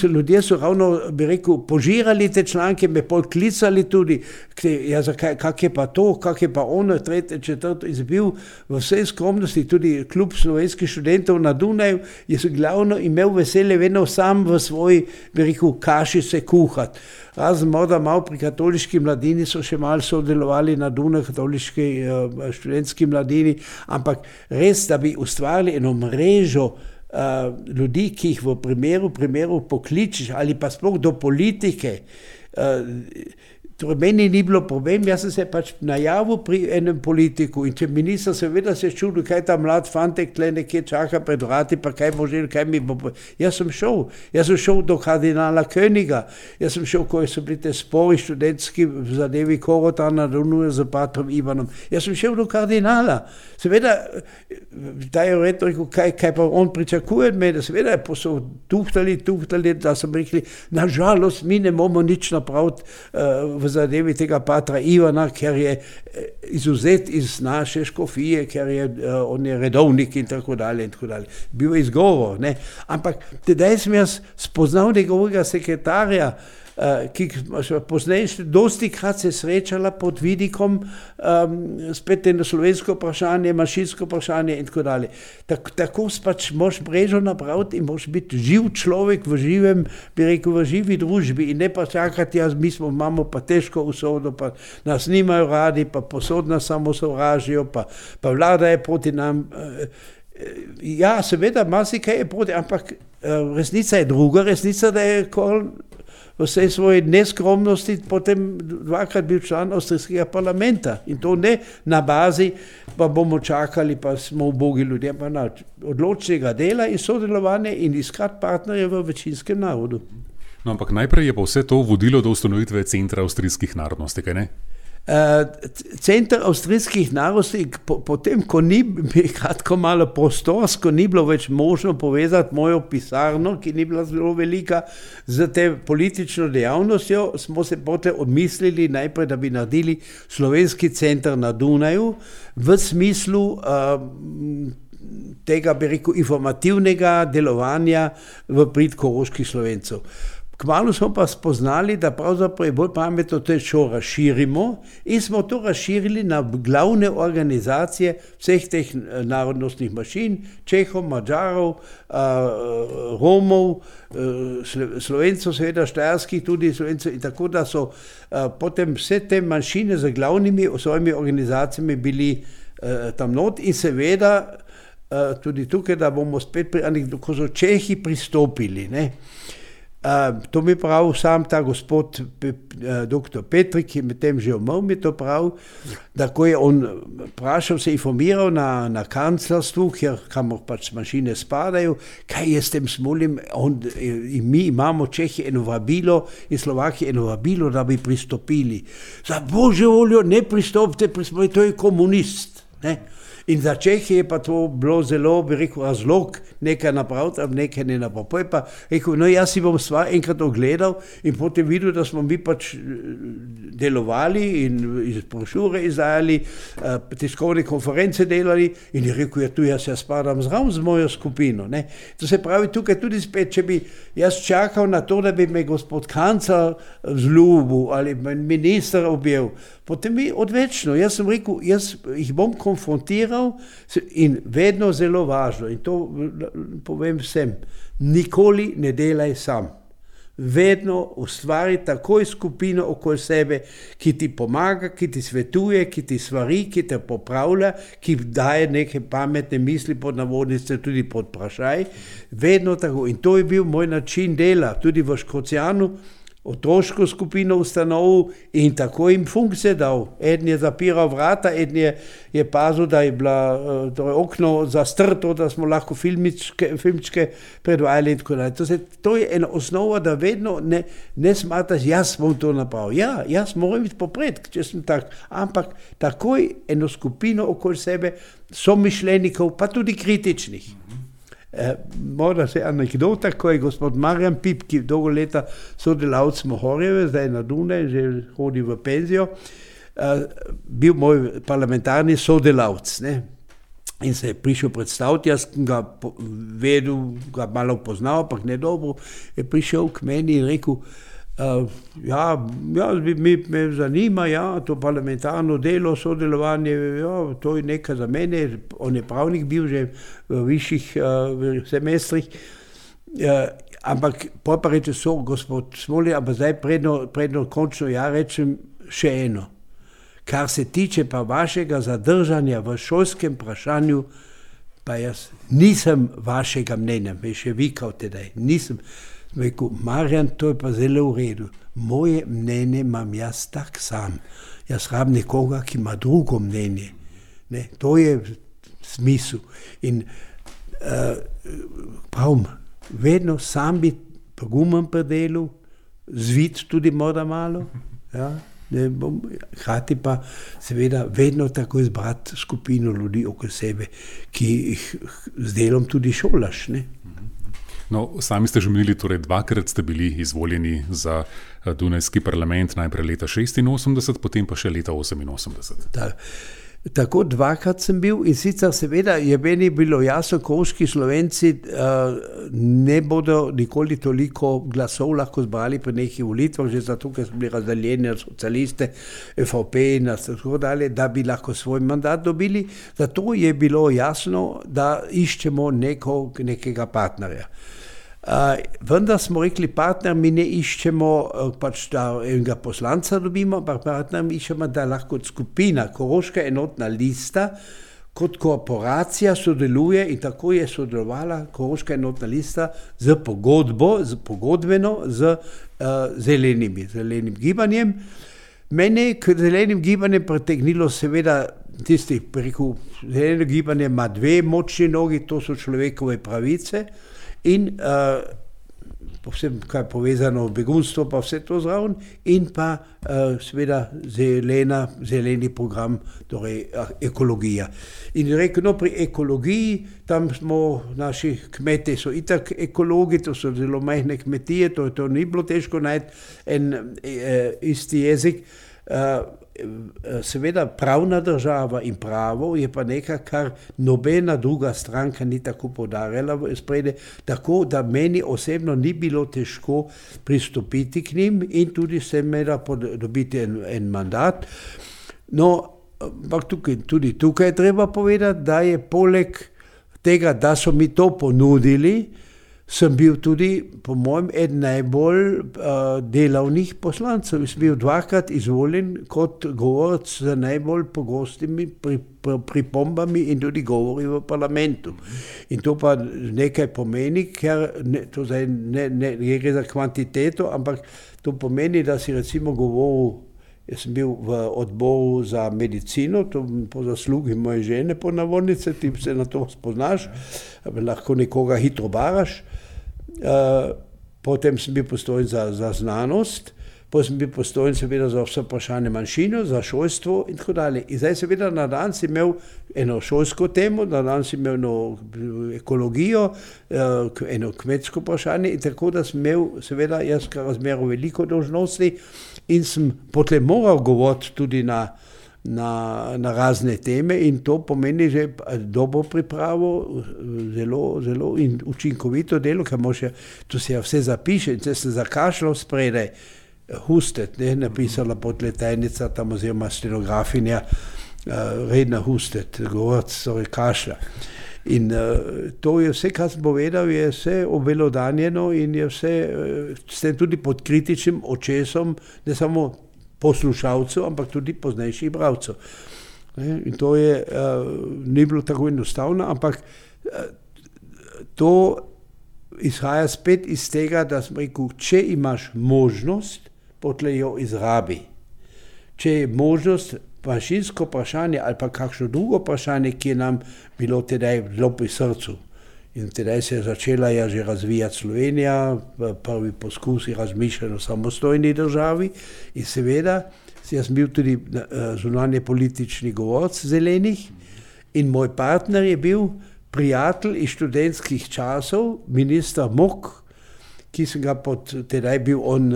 Ljudje so ravno, bi rekel, požirali te članke, me pol klicali tudi, kak je pa to, kak je pa ono, tretje, četrto, in bil v vsej skromnosti tudi klub slovenskih študentov na Dunaju, je se glavno imel veselje vedno sam v svoji, bi rekel, kaši se kuhati. Razen morda malo pri katoliški mladini so še malo sodelovali na Dunaju, katoliški študentski mladini, ampak res, da bi ustvarili eno mrežo ljudi, ki jih v primeru pokličiš ali pa sploh do politike. Torej, meni ni bilo problem, jaz sem se pač najavil pri enem politiku in če minister seveda se čudil, kaj ta mlad fantek tle nekje čaka pred vrati, pa kaj bo želel, kaj mi bo... Jaz sem šel do kardinala Königa, jaz sem šel, ko so bili te spori študentski v zadevi Korota na Dunaju z patrom Ivanom, jaz sem šel do kardinala. Seveda, da je rekel, kaj pa on pričakuje od mene, seveda so tuhtali, da sem rekli, nažalost, mi ne bomo nič napraviti v zadevi tega patra Ivana, ker je izuzet iz naše škofije, ker on je redovnik in tako dalje. Bil je izgovor, ne. Ampak tedaj sem jaz spoznal njegovega sekretarja, ki pozneje dosti krat se srečala pod vidikom spet eno slovensko vprašanje, manjšinsko vprašanje in tako dalje. Tako pač moš mrežo napraviti in moš biti živ človek v živem, bi rekel, v živi družbi in ne pa čakati, imamo pa težko usodo, pa nas nimajo radi, pa posod nas samo sovražijo, pa vlada je proti nam. Ja, seveda, marsikaj je proti, ampak resnica je druga, resnica, da je v vsej svoji neskromnosti potem dvakrat bil član avstrijskega parlamenta. In to ne na bazi, pa bomo čakali, pa smo ubogi ljudje, pa na odločnega dela in sodelovanje in iskati partnerje v večinskem narodu. No, ampak najprej je pa vse to vodilo do ustanovitve Centra avstrijskih narodnosti, kaj ne? Center avstrijskih narodnosti, potem, ko ni kratko malo prostorsko, ni bilo več možno povezati mojo pisarno, ki ni bila zelo velika, z te politično dejavnostjo, smo se potem odmislili najprej, da bi naredili slovenski center na Dunaju v smislu tega, bi rekel, informativnega delovanja v prid koroških Slovencev. Kmalu smo pa spoznali, da pravzaprav je bolj pametno to šo razširimo in smo to razširili na glavne organizacije vseh teh narodnostnih manjšin, Čehov, Madžarov, Romov, Slovencev, seveda štajerskih tudi Slovencev, in tako da so potem vse te manjšine z glavnimi svojimi organizacijami bili tam not in seveda tudi tukaj, da bomo spet ko so Čehi pristopili, ne. To mi pravi sam ta gospod dr. Petrik, ki je medtem že umrl, mi to pravi, da ko je on vprašal, se informiral na kanclerstvu, kamor pač mašine spadajo, kaj je s tem smolim, in mi imamo Čehi eno vabilo in Slovaki eno vabilo, da bi pristopili. Za božjo voljo ne pristopite, to je komunist. Ne? In za Čehe je pa to bilo zelo, bi rekel, razlog nekaj napraviti, ali nekaj ne napraviti. Potem pa rekel, no jaz si bom stvar enkrat ogledal in potem videl, da smo mi pač delovali in iz brošure izdajali, tiskovne konference delali in je rekel, jaz spadam zraven z mojo skupino. Ne. To se pravi tukaj tudi spet, če bi jaz čakal na to, da bi me gospod kancler vzljubil ali minister objel, potem mi odvečno. Jaz sem rekel, jaz jih bom konfrontiral in vedno zelo važno, in to povem vsem, nikoli ne delaj sam. Vedno ustvari takoj skupino okoli sebe, ki ti pomaga, ki ti svetuje, ki ti svari, ki te popravlja, ki daje neke pametne misli pod navodnice, tudi pod vprašaj. Vedno tako. In to je bil moj način dela, tudi v Škocjanu, otroško skupino ustanovil in tako jim funkcije dal. Eden je zapiral vrata, eden je pazil, da je bila okno zastrto, da smo lahko filmčke predvajali in tako dalje. To je ena osnova, da vedno ne smatraš, jaz bom to napravil. Ja, jaz moram biti popred, če sem tak, ampak takoj eno skupino okoli sebe somišljenikov, pa tudi kritičnih. Morda se anekdota, ko je gospod Marjan Pip, ki dolgo leta sodelavc Mohorjeve, zdaj na Dunaj, že hodi v penzijo, bil moj parlamentarni sodelavc. Ne? In se je prišel predstaviti, jaz sem ga vedel, ga malo poznal, ampak ne dobro, je prišel k meni in rekel, me zanima, to parlamentarno delo, sodelovanje, to je nekaj za mene, on je pravnik bil že v višjih semestrih, ampak pa reče, gospod Smolje, ampak zdaj predno končno rečem še eno. Kar se tiče pa vašega zadržanja v šolskem vprašanju, pa jaz nisem vašega mnenja, me še vikal tedaj, nisem. Rekel, Marjan, to je pa zelo v redu. Moje mnenje imam jaz tak sam. Jaz rabim nekoga, ki ima drugo mnenje. Ne? To je smisel. In pravim, vedno sam biti pogumen pri delu, zvit tudi morda malo. Ja? Hkrati pa seveda vedno tako izbrati skupino ljudi okoli sebe, ki jih z delom tudi šolaš. Ne? No, sami ste že menili, torej dvakrat ste bili izvoljeni za Dunajski parlament, najprej leta 86, potem pa še leta 88. Tako dvakrat sem bil in sicer seveda je meni bilo jasno, koroški Slovenci ne bodo nikoli toliko glasov lahko zbrali pri nekih volitvah, že zato, ker so bili razdaljeni na socialiste, FVP in tako dalje, da bi lahko svoj mandat dobili. Zato je bilo jasno, da iščemo nekega partnerja. Vendar smo rekli, partner, mi ne iščemo pač, da enega poslanca dobimo, ampak partner mi iščemo, da lahko skupina, Koroška enotna lista, kot korporacija sodeluje in tako je sodelovala Koroška enotna lista z pogodbeno z zelenim gibanjem. Mene je k zelenim gibanjem pritegnilo seveda tisti, rekel, zeleno gibanje ima dve močni nogi, to so človekove pravice, in povsem, kaj je povezano begunstvo, pa vse to zraven, in pa seveda zeleni program, torej ekologija. In rekel, pri ekologiji, tam smo, naši kmete so itak ekologi, to so zelo majhne kmetije, to ni bilo težko najti en isti jezik. Seveda pravna država in pravo je pa nekaj, kar nobena druga stranka ni tako poudarjala v spredje, tako da meni osebno ni bilo težko pristopiti k njim in tudi seveda dobiti en mandat. No, ampak tudi tukaj je treba povedati, da je poleg tega, da so mi to ponudili, sem bil tudi, po mojem, eden najbolj delavnih poslancev. Sem bil dvakrat izvoljen kot govorec z najbolj pogostimi pripombami in tudi govori v parlamentu. In to pa nekaj pomeni, ker to zdaj ne gre za kvantiteto, ampak to pomeni, da si recimo govoril. Jaz sem bil v odboru za medicino, to po zaslugi moje žene po navodnice, ti se na to spoznaš, lahko nekoga hitro baraš. Potem sem bil postojen za znanost, potem sem bil postojen seveda za vse vprašanje manjšine, za šolstvo in tako dalje. In zdaj seveda na dan si imel eno šolsko temo, na dan si imel eno ekologijo, eno kmetsko vprašanje in tako da sem imel seveda jaz razmerno veliko dolžnosti in sem potem moral govoriti tudi na razne teme in to pomeni že dobro pripravo, zelo in učinkovito delo, ker tu se vse zapiše in če se zakašljal spredaj, Hustet, napisala podletajnica tam oziroma stenografinja, redna Hustet, govorec, torej kašlja. In to je vse, kar sem povedal, je vse obelodanjeno in je vse tudi pod kritičnim očesom, ne samo poslušalcev, ampak tudi poznejših bralcev. In to ni bilo tako enostavno, ampak to izhaja spet iz tega, da sem rekel, če imaš možnost, potlej jo izrabi. Če je možnost manjšinsko vprašanje ali pa kakšno drugo vprašanje, ki je nam bilo tedaj zelo pri srcu. In tedaj se je začela že razvijati Slovenija, prvi poskusi razmišljanja o samostojni državi in seveda, jaz sem bil tudi zunanje politični govorec Zelenih in moj partner je bil prijatelj iz študentskih časov, minister Mok, ki sem ga tedaj bil on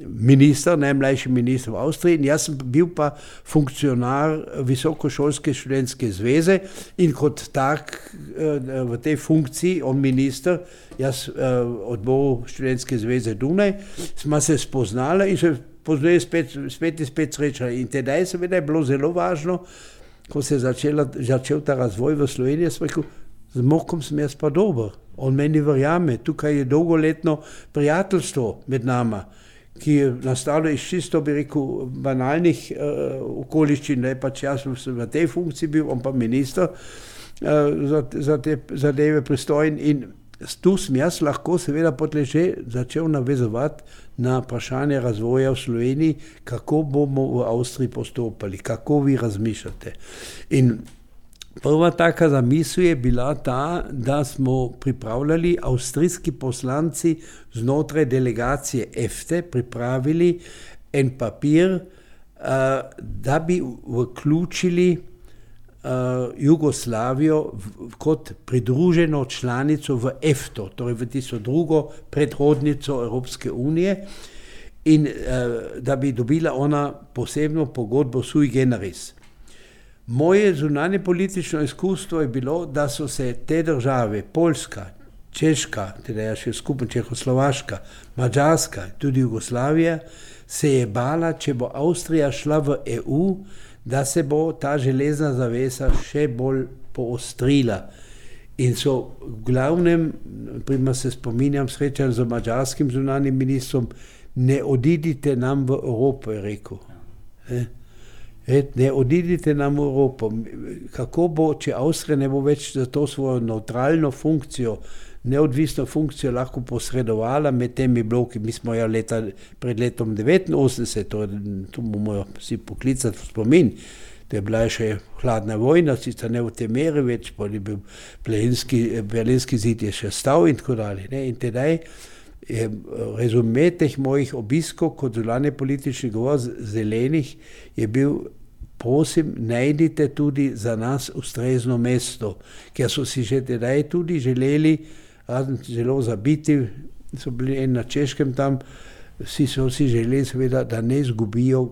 minister, najmlajši minister v Avstriji in jaz sem bil pa funkcionar Visokošolske študentske zveze in kot tak v tej funkciji, on minister, jaz odboru študentske zveze Dunaj, smo se spoznali in se poznali spet srečali. In tedaj seveda je bilo zelo važno, ko se je začel ta razvoj v Sloveniji, sem rekel, z Mokom sem jaz pa dober. On meni verjame, tukaj je dolgoletno prijateljstvo med nama, ki je nastalo iz čisto, bi rekel, banalnih okoliščin, da je pač jaz v tej funkciji bil, on pa minister za te zadeve pristojen in tu sem jaz lahko seveda potlej že začel navezovati na vprašanje razvoja v Sloveniji, kako bomo v Avstriji postopali, kako vi razmišljate. In prva taka zamisel je bila ta, da smo pripravljali avstrijski poslanci znotraj delegacije EFTE, pripravili en papir, da bi vključili Jugoslavijo kot pridruženo članico v EFTO, torej v tisto drugo predhodnico Evropske unije in da bi dobila ona posebno pogodbo sui generis. Moje zunanje politično izkustvo je bilo, da so se te države, Poljska, Češka, teda še skupaj Čehoslovaška, Madžarska, tudi Jugoslavija, se je bala, če bo Avstrija šla v EU, da se bo ta železna zavesa še bolj poostrila. In so v glavnem, prima se spominjam srečanj z madžarskim zunanjim ministrom, ne odidite nam v Evropo, je rekel. Ne odidite nam v Evropo. Kako bo, če Avstrija ne bo več za to svojo neutralno funkcijo, neodvisno funkcijo lahko posredovala med temi bloki. Mi smo jo pred letom 1989, to bomo si poklicati v spomin, da je bila še hladna vojna, sicer ne v te meri več, pa je bil Berlinski zid je še stal in tako dalje. In tedaj je rezume teh mojih obiskov kot zunanje politični govor Zelenih je bil, prosim, najdite tudi za nas ustrezno mesto, ker so si že tedaj tudi želeli, zelo zabiti, so bili na Češkem tam, so si želeli seveda, da ne izgubijo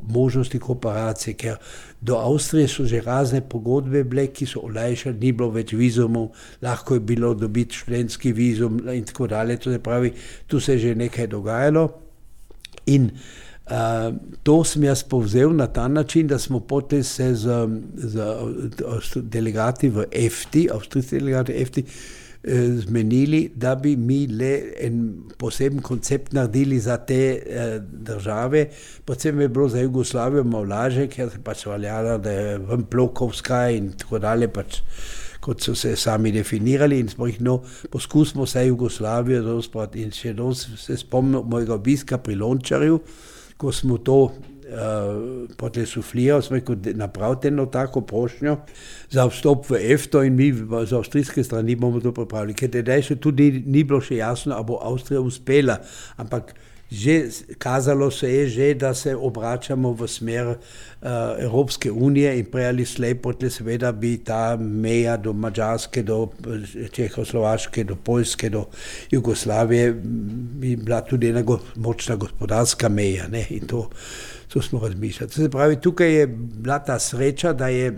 možnosti kooperacije, ker do Avstrije so že razne pogodbe bile, ki so olajšali, ni bilo več vizumov, lahko je bilo dobiti študentski vizum in tako dalje, to se pravi, tu se je že nekaj dogajalo in to sem jaz povzel na ta način, da smo potem se z delegati v EFTI, avstrijski delegati EFTI, zmenili, da bi mi le en poseben koncept naredili za te države, predvsem je bilo za Jugoslavijo malo lažje, ker se pač valjalo, da je ven blokovska in tako dalje, pač kot so se sami definirali in smo jih, poskusimo se Jugoslavijo dosprati in še se spomnim mojega obiska pri Lončarju, ko smo to potem suflirali, smo rekel, napravite eno tako prošnjo za vstop v EFTO in mi z avstrijske strani bomo to pripravili, ker tedaj še tudi ni bilo še jasno, a bo Avstrija uspela, ampak že kazalo se je že, da se obračamo v smer Evropske unije in prej ali slej potem seveda bi ta meja do Mađarske, do Čehoslovaške, do Poljske, do Jugoslavije bi bila tudi ena močna gospodarska meja, ne? In to smo razmišljali. Se pravi, tukaj je bila ta sreča, da je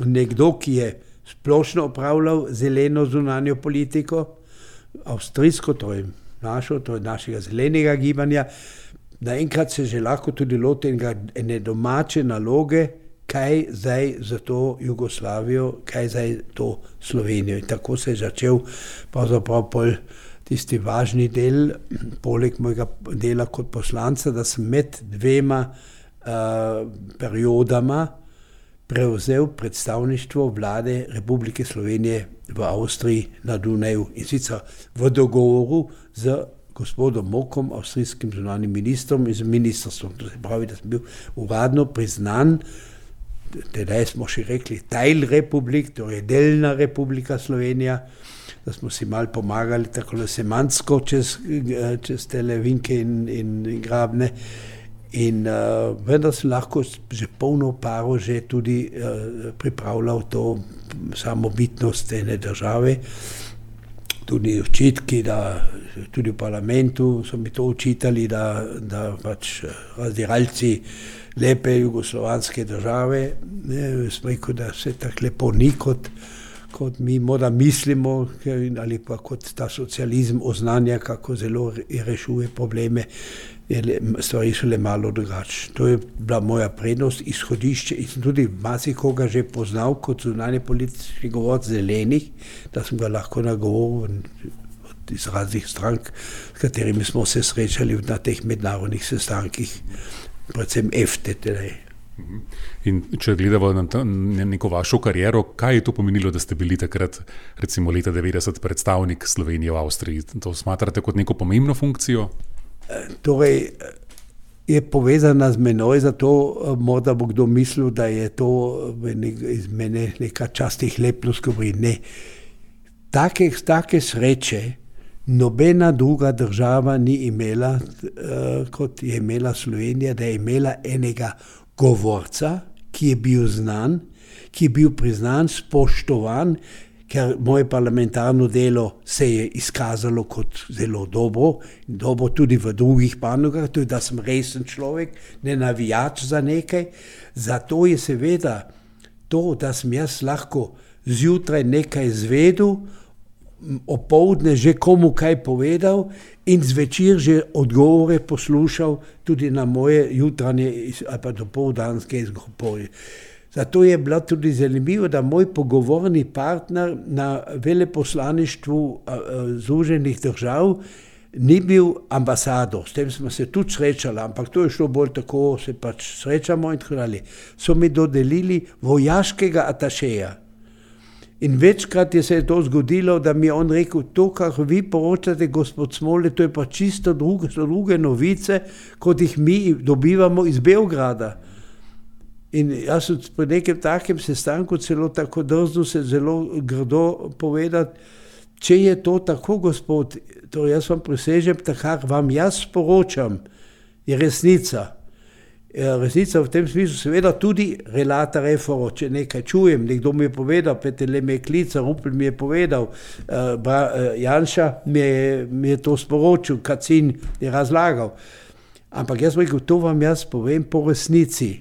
nekdo, ki je splošno opravljal zeleno zunanjo politiko, avstrijsko, to je našega zelenega gibanja, naenkrat se že lahko tudi loti ene domače naloge, kaj zdaj za to Jugoslavijo, kaj zdaj to Slovenijo. In tako se je začel pravzaprav tisti važni del, poleg mojega dela kot poslanca, da sem med dvema periodama prevzel predstavništvo vlade Republike Slovenije v Avstriji na Dunaju in sicer v dogovoru z gospodom Mokom, avstrijskim zunanjim ministrom in z ministrstvom. To se pravi, da sem bil uradno priznan, tedaj smo še rekli Teilrepublik, torej delna Republika Slovenija, da smo si malo pomagali tako semantsko čez tele vinke in grabne. In vendar sem lahko že polno paro že tudi pripravljal to samobitnost ene države. Tudi očitki, da tudi v parlamentu so mi to očitali, da pač razdiralci lepe jugoslovanske države, smo rekel, da se tako lepo ni, kot mi morda mislimo, ali pa kot ta socializem oznanja, kako zelo rešuje probleme. Stvari so le malo drugače. To je bila moja prednost, izhodišče in sem tudi marsikoga že poznal kot zunanje politični govorec zelenih, da sem ga lahko nagovoril iz raznih strank, s katerimi smo se srečali na teh mednarodnih sestankih, predvsem EFTE. In če gledamo na neko vašo kariero, kaj je to pomenilo, da ste bili takrat, recimo leta 90, predstavnik Slovenije v Avstriji? To smatrate kot neko pomembno funkcijo? Torej, je povezana z menoj, zato morda bo kdo mislil, da je to iz mene neka častih lepnost, ne. Take sreče nobena druga država ni imela, kot je imela Slovenija, da je imela enega govorca, ki je bil znan, ki je bil priznan, spoštovan, ker moje parlamentarno delo se je izkazalo kot zelo dobro tudi v drugih panogah, tudi da sem resen človek, ne navijač za nekaj. Zato je seveda to, da sem jaz lahko zjutraj nekaj izvedel, opoldne že komu kaj povedal in zvečer že odgovore poslušal tudi na moje jutranje ali pa dopoldanske izgovore. Zato je bilo tudi zanimivo, da moj pogovorni partner na veleposlaništvu Združenih držav ni bil ambasador, s tem smo se tudi srečali, ampak to je šlo bolj tako, se pač srečamo in tako dalje. So mi dodelili vojaškega atašeja. In večkrat se je to zgodilo, da mi je on rekel, to, kar vi poročate, gospod Smole, to je pa čisto druge novice, kot jih mi dobivamo iz Beograda. In jaz sem pri nekem takem sestanku celo tako drznil se zelo grdo povedati, če je to tako, gospod, to jaz vam prisežem, kar vam jaz sporočam, je resnica. Resnica v tem smislu, seveda tudi relata refero, če nekaj čujem, nekdo mi je povedal, Petele me je klical, Rupel mi je povedal, Janša mi je to sporočil, Kacin je razlagal. Ampak jaz rekel, to vam jaz povem po resnici,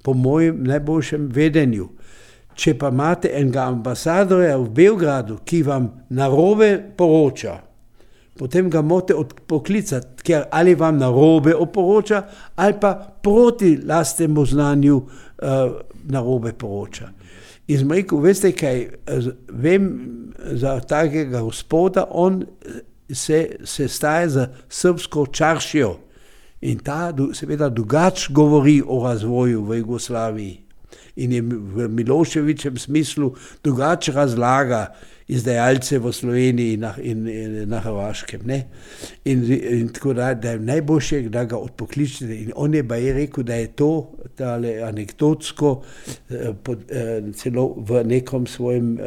po mojem najboljšem vedenju. Če pa imate enega ambasadorja v Beogradu, ki vam narobe poroča, potem ga morate poklicati, ker ali vam narobe oporoča, ali pa proti lastnemu znanju narobe poroča. In sem rekel, veste kaj, vem za takega gospoda, on se staje za srpsko čaršijo in ta seveda drugače govori o razvoju v Jugoslaviji in je v Miloševičem smislu drugače razlaga izdajalce v Sloveniji in na Hrvaškem. Ne? In tako da je najboljše, da ga odpokličete. In on je rekel, da je to anekdotsko celo v nekom svojem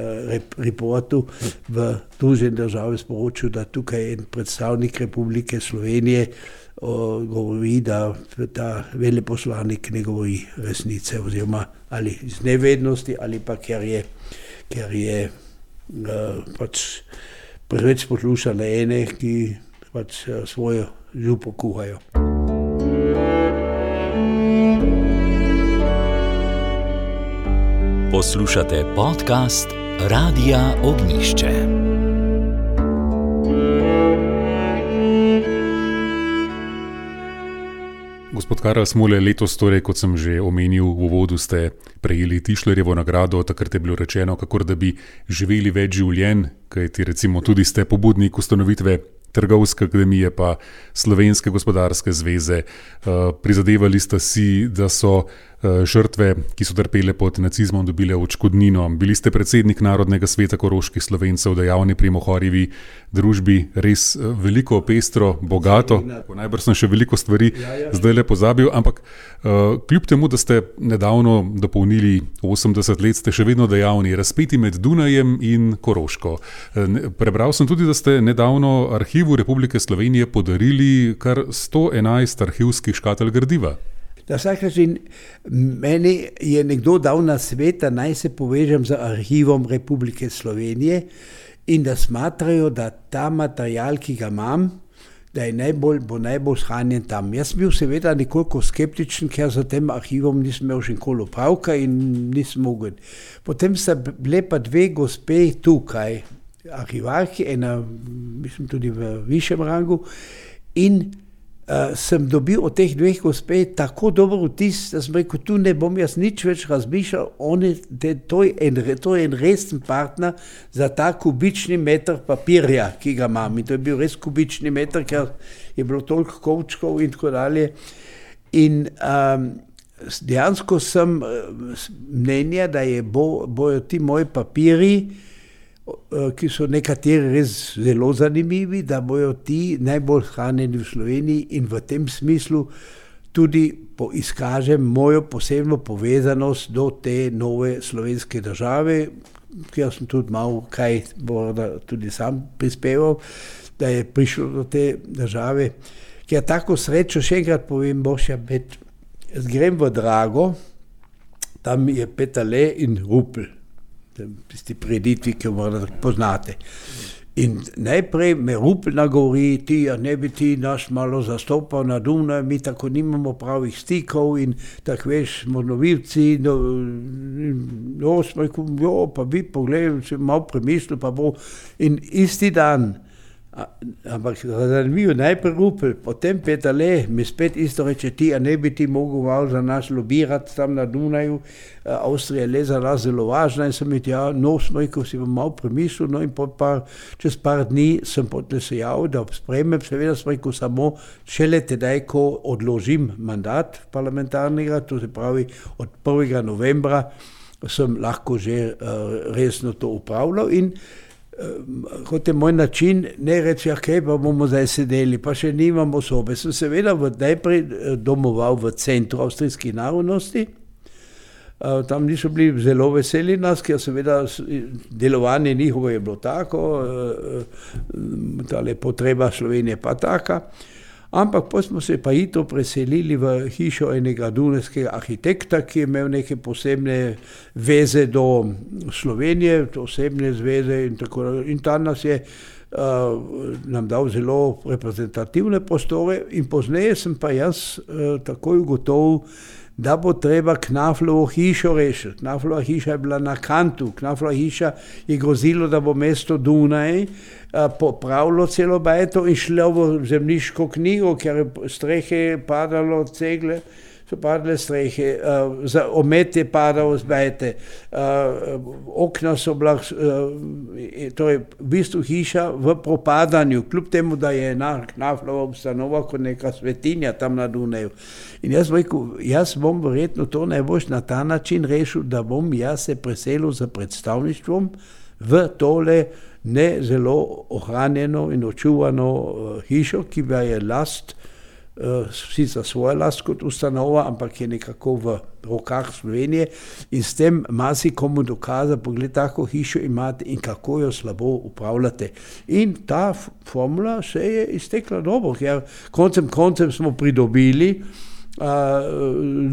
reportu v Združene države sporočil, da tukaj je en predstavnik Republike Slovenije govori, da ta veleposlanik ne govori resnice, oziroma ali iz nevednosti, ali pa ker je pač preveč poslušali ene, ki pač svojo župo kuhajo. Poslušate podcast Radia Ognjišče. Gospod Karel Smole, letos torej, kot sem že omenil v uvodu, ste prejeli Tišlerjevo nagrado, takrat je bilo rečeno, kakor da bi živeli več življenj, kajti recimo tudi ste pobudnik ustanovitve Trgovske akademije pa Slovenske gospodarske zveze. Prizadevali ste si, da so žrtve, ki so trpele pod nacizmom, dobile odškodnino. Bili ste predsednik Narodnega sveta koroških Slovencev, dejavni pri Mohorjevi družbi, res veliko, pestro, bogato. Najbrž sem še veliko stvari zdaj le pozabil, ampak kljub temu, da ste nedavno dopolnili 80 let, ste še vedno dejavni, razpeti med Dunajem in Koroško. Prebral sem tudi, da ste nedavno Arhivu Republike Slovenije podarili kar 111 arhivskih škatel gradiva. Na vsak način, meni je nekdo dal na svet, da naj se povežem z Arhivom Republike Slovenije in da smatrajo, da ta material, ki ga imam, da je bo najbolj shranjen tam. Jaz sem bil seveda nekoliko skeptičen, ker za tem arhivom nisem imel še nikoli opravka in nisem mogel. Potem sta bile pa dve gospe tukaj, arhivarki, ena, mislim, tudi v višjem rangu, in sem dobil od teh dveh gospe tako dober vtis, da sem rekel, tu ne bom jaz nič več razmišljal, to je en resen partner za ta kubični meter papirja, ki ga imam. In to je bil res kubični meter, ker je bilo toliko kovčkov in tako dalje. In dejansko sem mnenja, da bojo ti moji papiri, ki so nekateri res zelo zanimivi, da bojo ti najbolj shranjeni v Sloveniji in v tem smislu tudi izkažem mojo posebno povezanost do te nove slovenske države, kjer sem tudi malo kaj tudi sam prispeval, da je prišlo do te države. Ker tako srečo, še enkrat povem, Bošja, grem v Drago, tam je Peterle in Rupel. Tisti preditvi, ki jo morda poznate. In najprej me Rupel nagovori, ne bi ti nas malo zastopal na Dunaju, mi tako nimamo pravih stikov in tako veš, smo novilci, smo rekel, pa bi pogledal, če malo premislil, pa bo. In isti dan, ampak zanimivo, najprej Rupel, potem Peterle, mi spet isto reče, ne bi ti mogel malo za nas lobirati tam na Dunaju, Avstrija je le za nas zelo važna in sem smo rekel, si bom malo premislil, no in čez par dni sem potem se javil, da sprejmem, seveda sem rekel samo šele tedaj, ko odložim mandat parlamentarnega, to se pravi od 1. novembra sem lahko že resno to upravljal in kot je moj način, ne reči, kaj pa bomo zdaj sedeli, pa še nimamo sobe. Sem seveda najprej domoval v centru avstrijskih narodnosti. Tam niso bili zelo veseli nas, ker seveda delovanje njihovo je bilo tako, tale potreba Slovenije pa taka. Ampak pa smo se pa hitro preselili v hišo enega dunajskega arhitekta, ki je imel neke posebne veze do Slovenije, osebne zveze in tako naprej. In ta nas je nam dal zelo reprezentativne prostore in pozneje sem pa jaz takoj ugotovil, da bo treba Knaflovo hišo rešiti. Knaflova hiša je bila na Kantu. Knaflova hiša je grozilo, da bo mesto Dunaj popravilo celo bajto in šlo v zemljiško knjigo, ker je strehe padalo, cegle, so padle strehe, omet je padal z bajte, okna so bila, torej v bistvu hiša v propadanju, kljub temu, da je Knaflova ustanova kot neka svetinja tam na Dunaju. In jaz rekel, jaz bom verjetno to najbolj na ta način rešil, da bom jaz se preselil za predstavništvom v tole ne zelo ohranjeno in očuvano hišo, ki pa je last, sicer svoja last kot ustanova, ampak je nekako v rokah Slovenije in s tem marsikomu dokaza, pogled, tako hišo imate in kako jo slabo upravljate. In ta formula se je iztekla dobro, ker koncem smo pridobili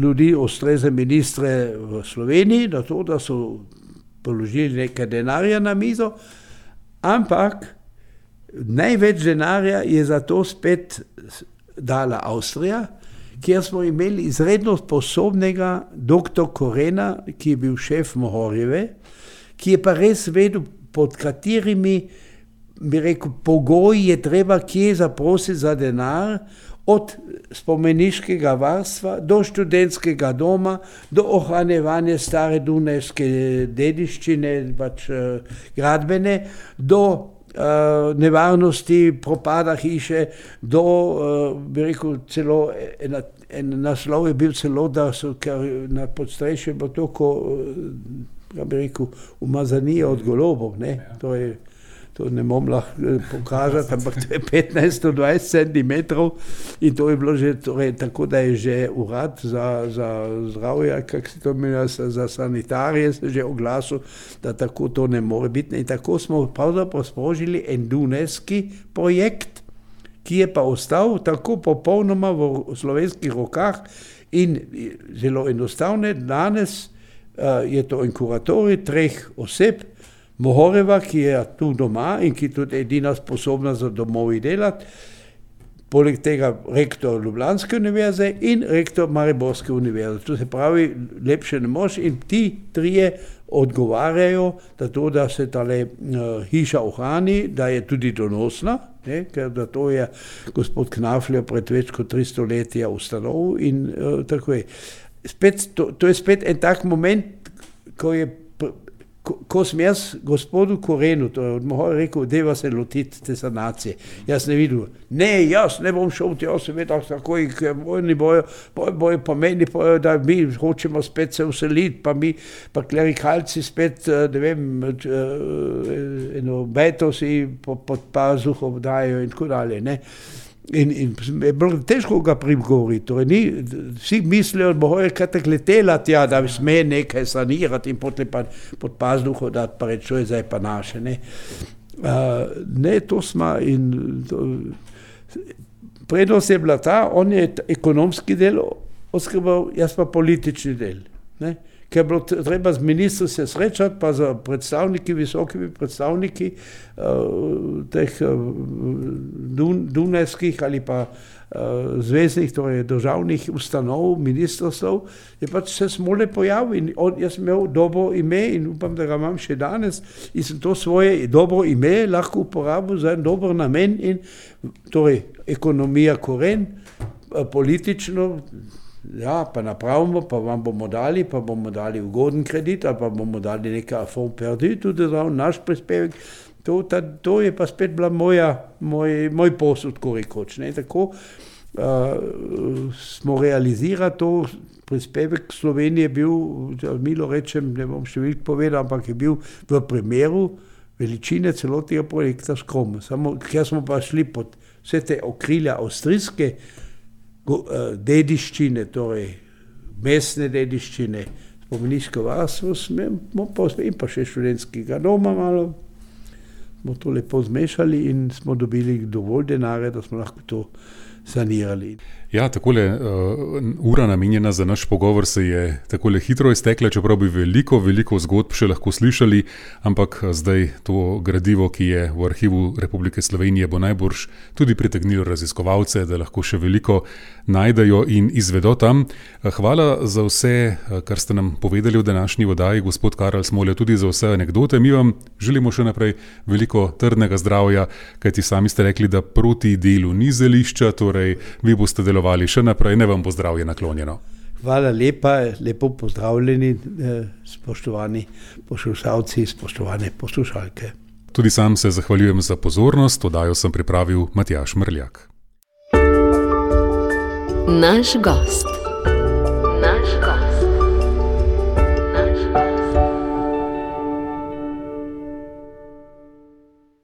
ljudi, ustrezne ministre v Sloveniji, na to, da so položili nekaj denarja na mizo, ampak največ denarja je za to spet dala Avstrija, kjer smo imeli izredno sposobnega dr. Korena, ki je bil šef Mohorjeve, ki je pa res vedel, pod katerimi, bi rekel, pogoji je treba kje zaprositi za denar, od spomeniškega varstva do študentskega doma, do ohranjevanja stare dunajske dediščine, pač gradbene, do nevarnosti propada hiše, do, bi rekel, celo en naslov je bil celo, da so na podstrešju bilo toliko, bi rekel, umazanija od golobov, ne, to ne bom lahko pokazati, ampak to je 15-20 centimetrov in to je bilo že, torej, tako da je že urad za zdravje, kako se to imenuje, za sanitarije se že oglasil, da tako to ne more biti. In tako smo pravzaprav sprožili en dunajski projekt, ki je pa ostal tako popolnoma v slovenskih rokah in zelo enostavne. Danes je to en kuratorij 3 oseb, Mohorjeva, ki je tu doma in ki tudi edina sposobna za domovi delati, poleg tega rektor Ljubljanske univerze in rektor Mariborske univerze. To se pravi, lepše ne moš in ti 3 odgovarjajo, da se tale hiša ohrani, da je tudi donosna, ne, ker da to je gospod Knaflja pred več kot 300 leti ustanovil in tako je. To je spet en tak moment, ko sem jaz gospodu Korenu, to je od Mohorja rekel, deva se lotiti te sanacije. Jaz ne videl, jaz ne bom šel tja, seveda takoj, ker oni bojo pa meni, da mi hočemo spet se useliti, pa klerikalci spet, ne vem, eno beto si pod pazuho dajo in tako dalje, ne. In je bilo težko ga prigovoriti, torej vsi mislijo, da je kaj tako letela tja, da sme nekaj sanirati in potem pa pod pazduho dati, pa reči, to je zdaj pa naše, ne. Ne, to smo in prednost je bila ta, on je ekonomski del oskrboval, jaz pa politični del, ne. Ker je bilo treba z ministrom se srečati, pa za predstavniki, visokimi predstavniki teh dunajskih ali pa zveznih, torej državnih ustanov, ministrstv, je pač se smole pojavil in jaz sem imel dobro ime in upam, da ga imam še danes in sem to svoje dobro ime lahko uporabil za en dober namen in torej ekonomija Koren, politično, ja, pa napravimo, pa vam bomo dali ugoden kredit, ali pa bomo dali nekaj fond perdu, tudi naš prispevek. To je pa spet bila moj posud, ko rekoč. Tako smo realizirali to, prispevek Slovenije je bil, milo rečem, ne bom številk povedal, ampak je bil v primeru veličine celotnega projekta skromen. Samo, ker smo pa šli pod vse te okrilja avstrijske dediščine, torej mestne dediščine, spomeniško varstvo, in pa še študentskega doma malo, smo to lepo zmešali in smo dobili dovolj denarja, da smo lahko to sanirali. Ja, takole ura namenjena za naš pogovor se je takole hitro iztekla, čeprav bi veliko zgodb še lahko slišali, ampak zdaj to gradivo, ki je v Arhivu Republike Slovenije, bo najbrž tudi pritegnilo raziskovalce, da lahko še veliko najdejo in izvedo tam. Hvala za vse, kar ste nam povedali v današnji oddaji, gospod Karel Smolja, tudi za vse anekdote. Mi vam želimo še naprej veliko trdnega zdravja, kajti sami ste rekli, da proti delu ni zelišča, torej vi boste delovali še naprej, ne vam bo zdravje naklonjeno. Hvala lepa, lepo pozdravljeni, spoštovani poslušalci, spoštovane poslušalke. Tudi sam se zahvaljujem za pozornost, oddajo sem pripravil Matjaž Mrljak. Naš gost.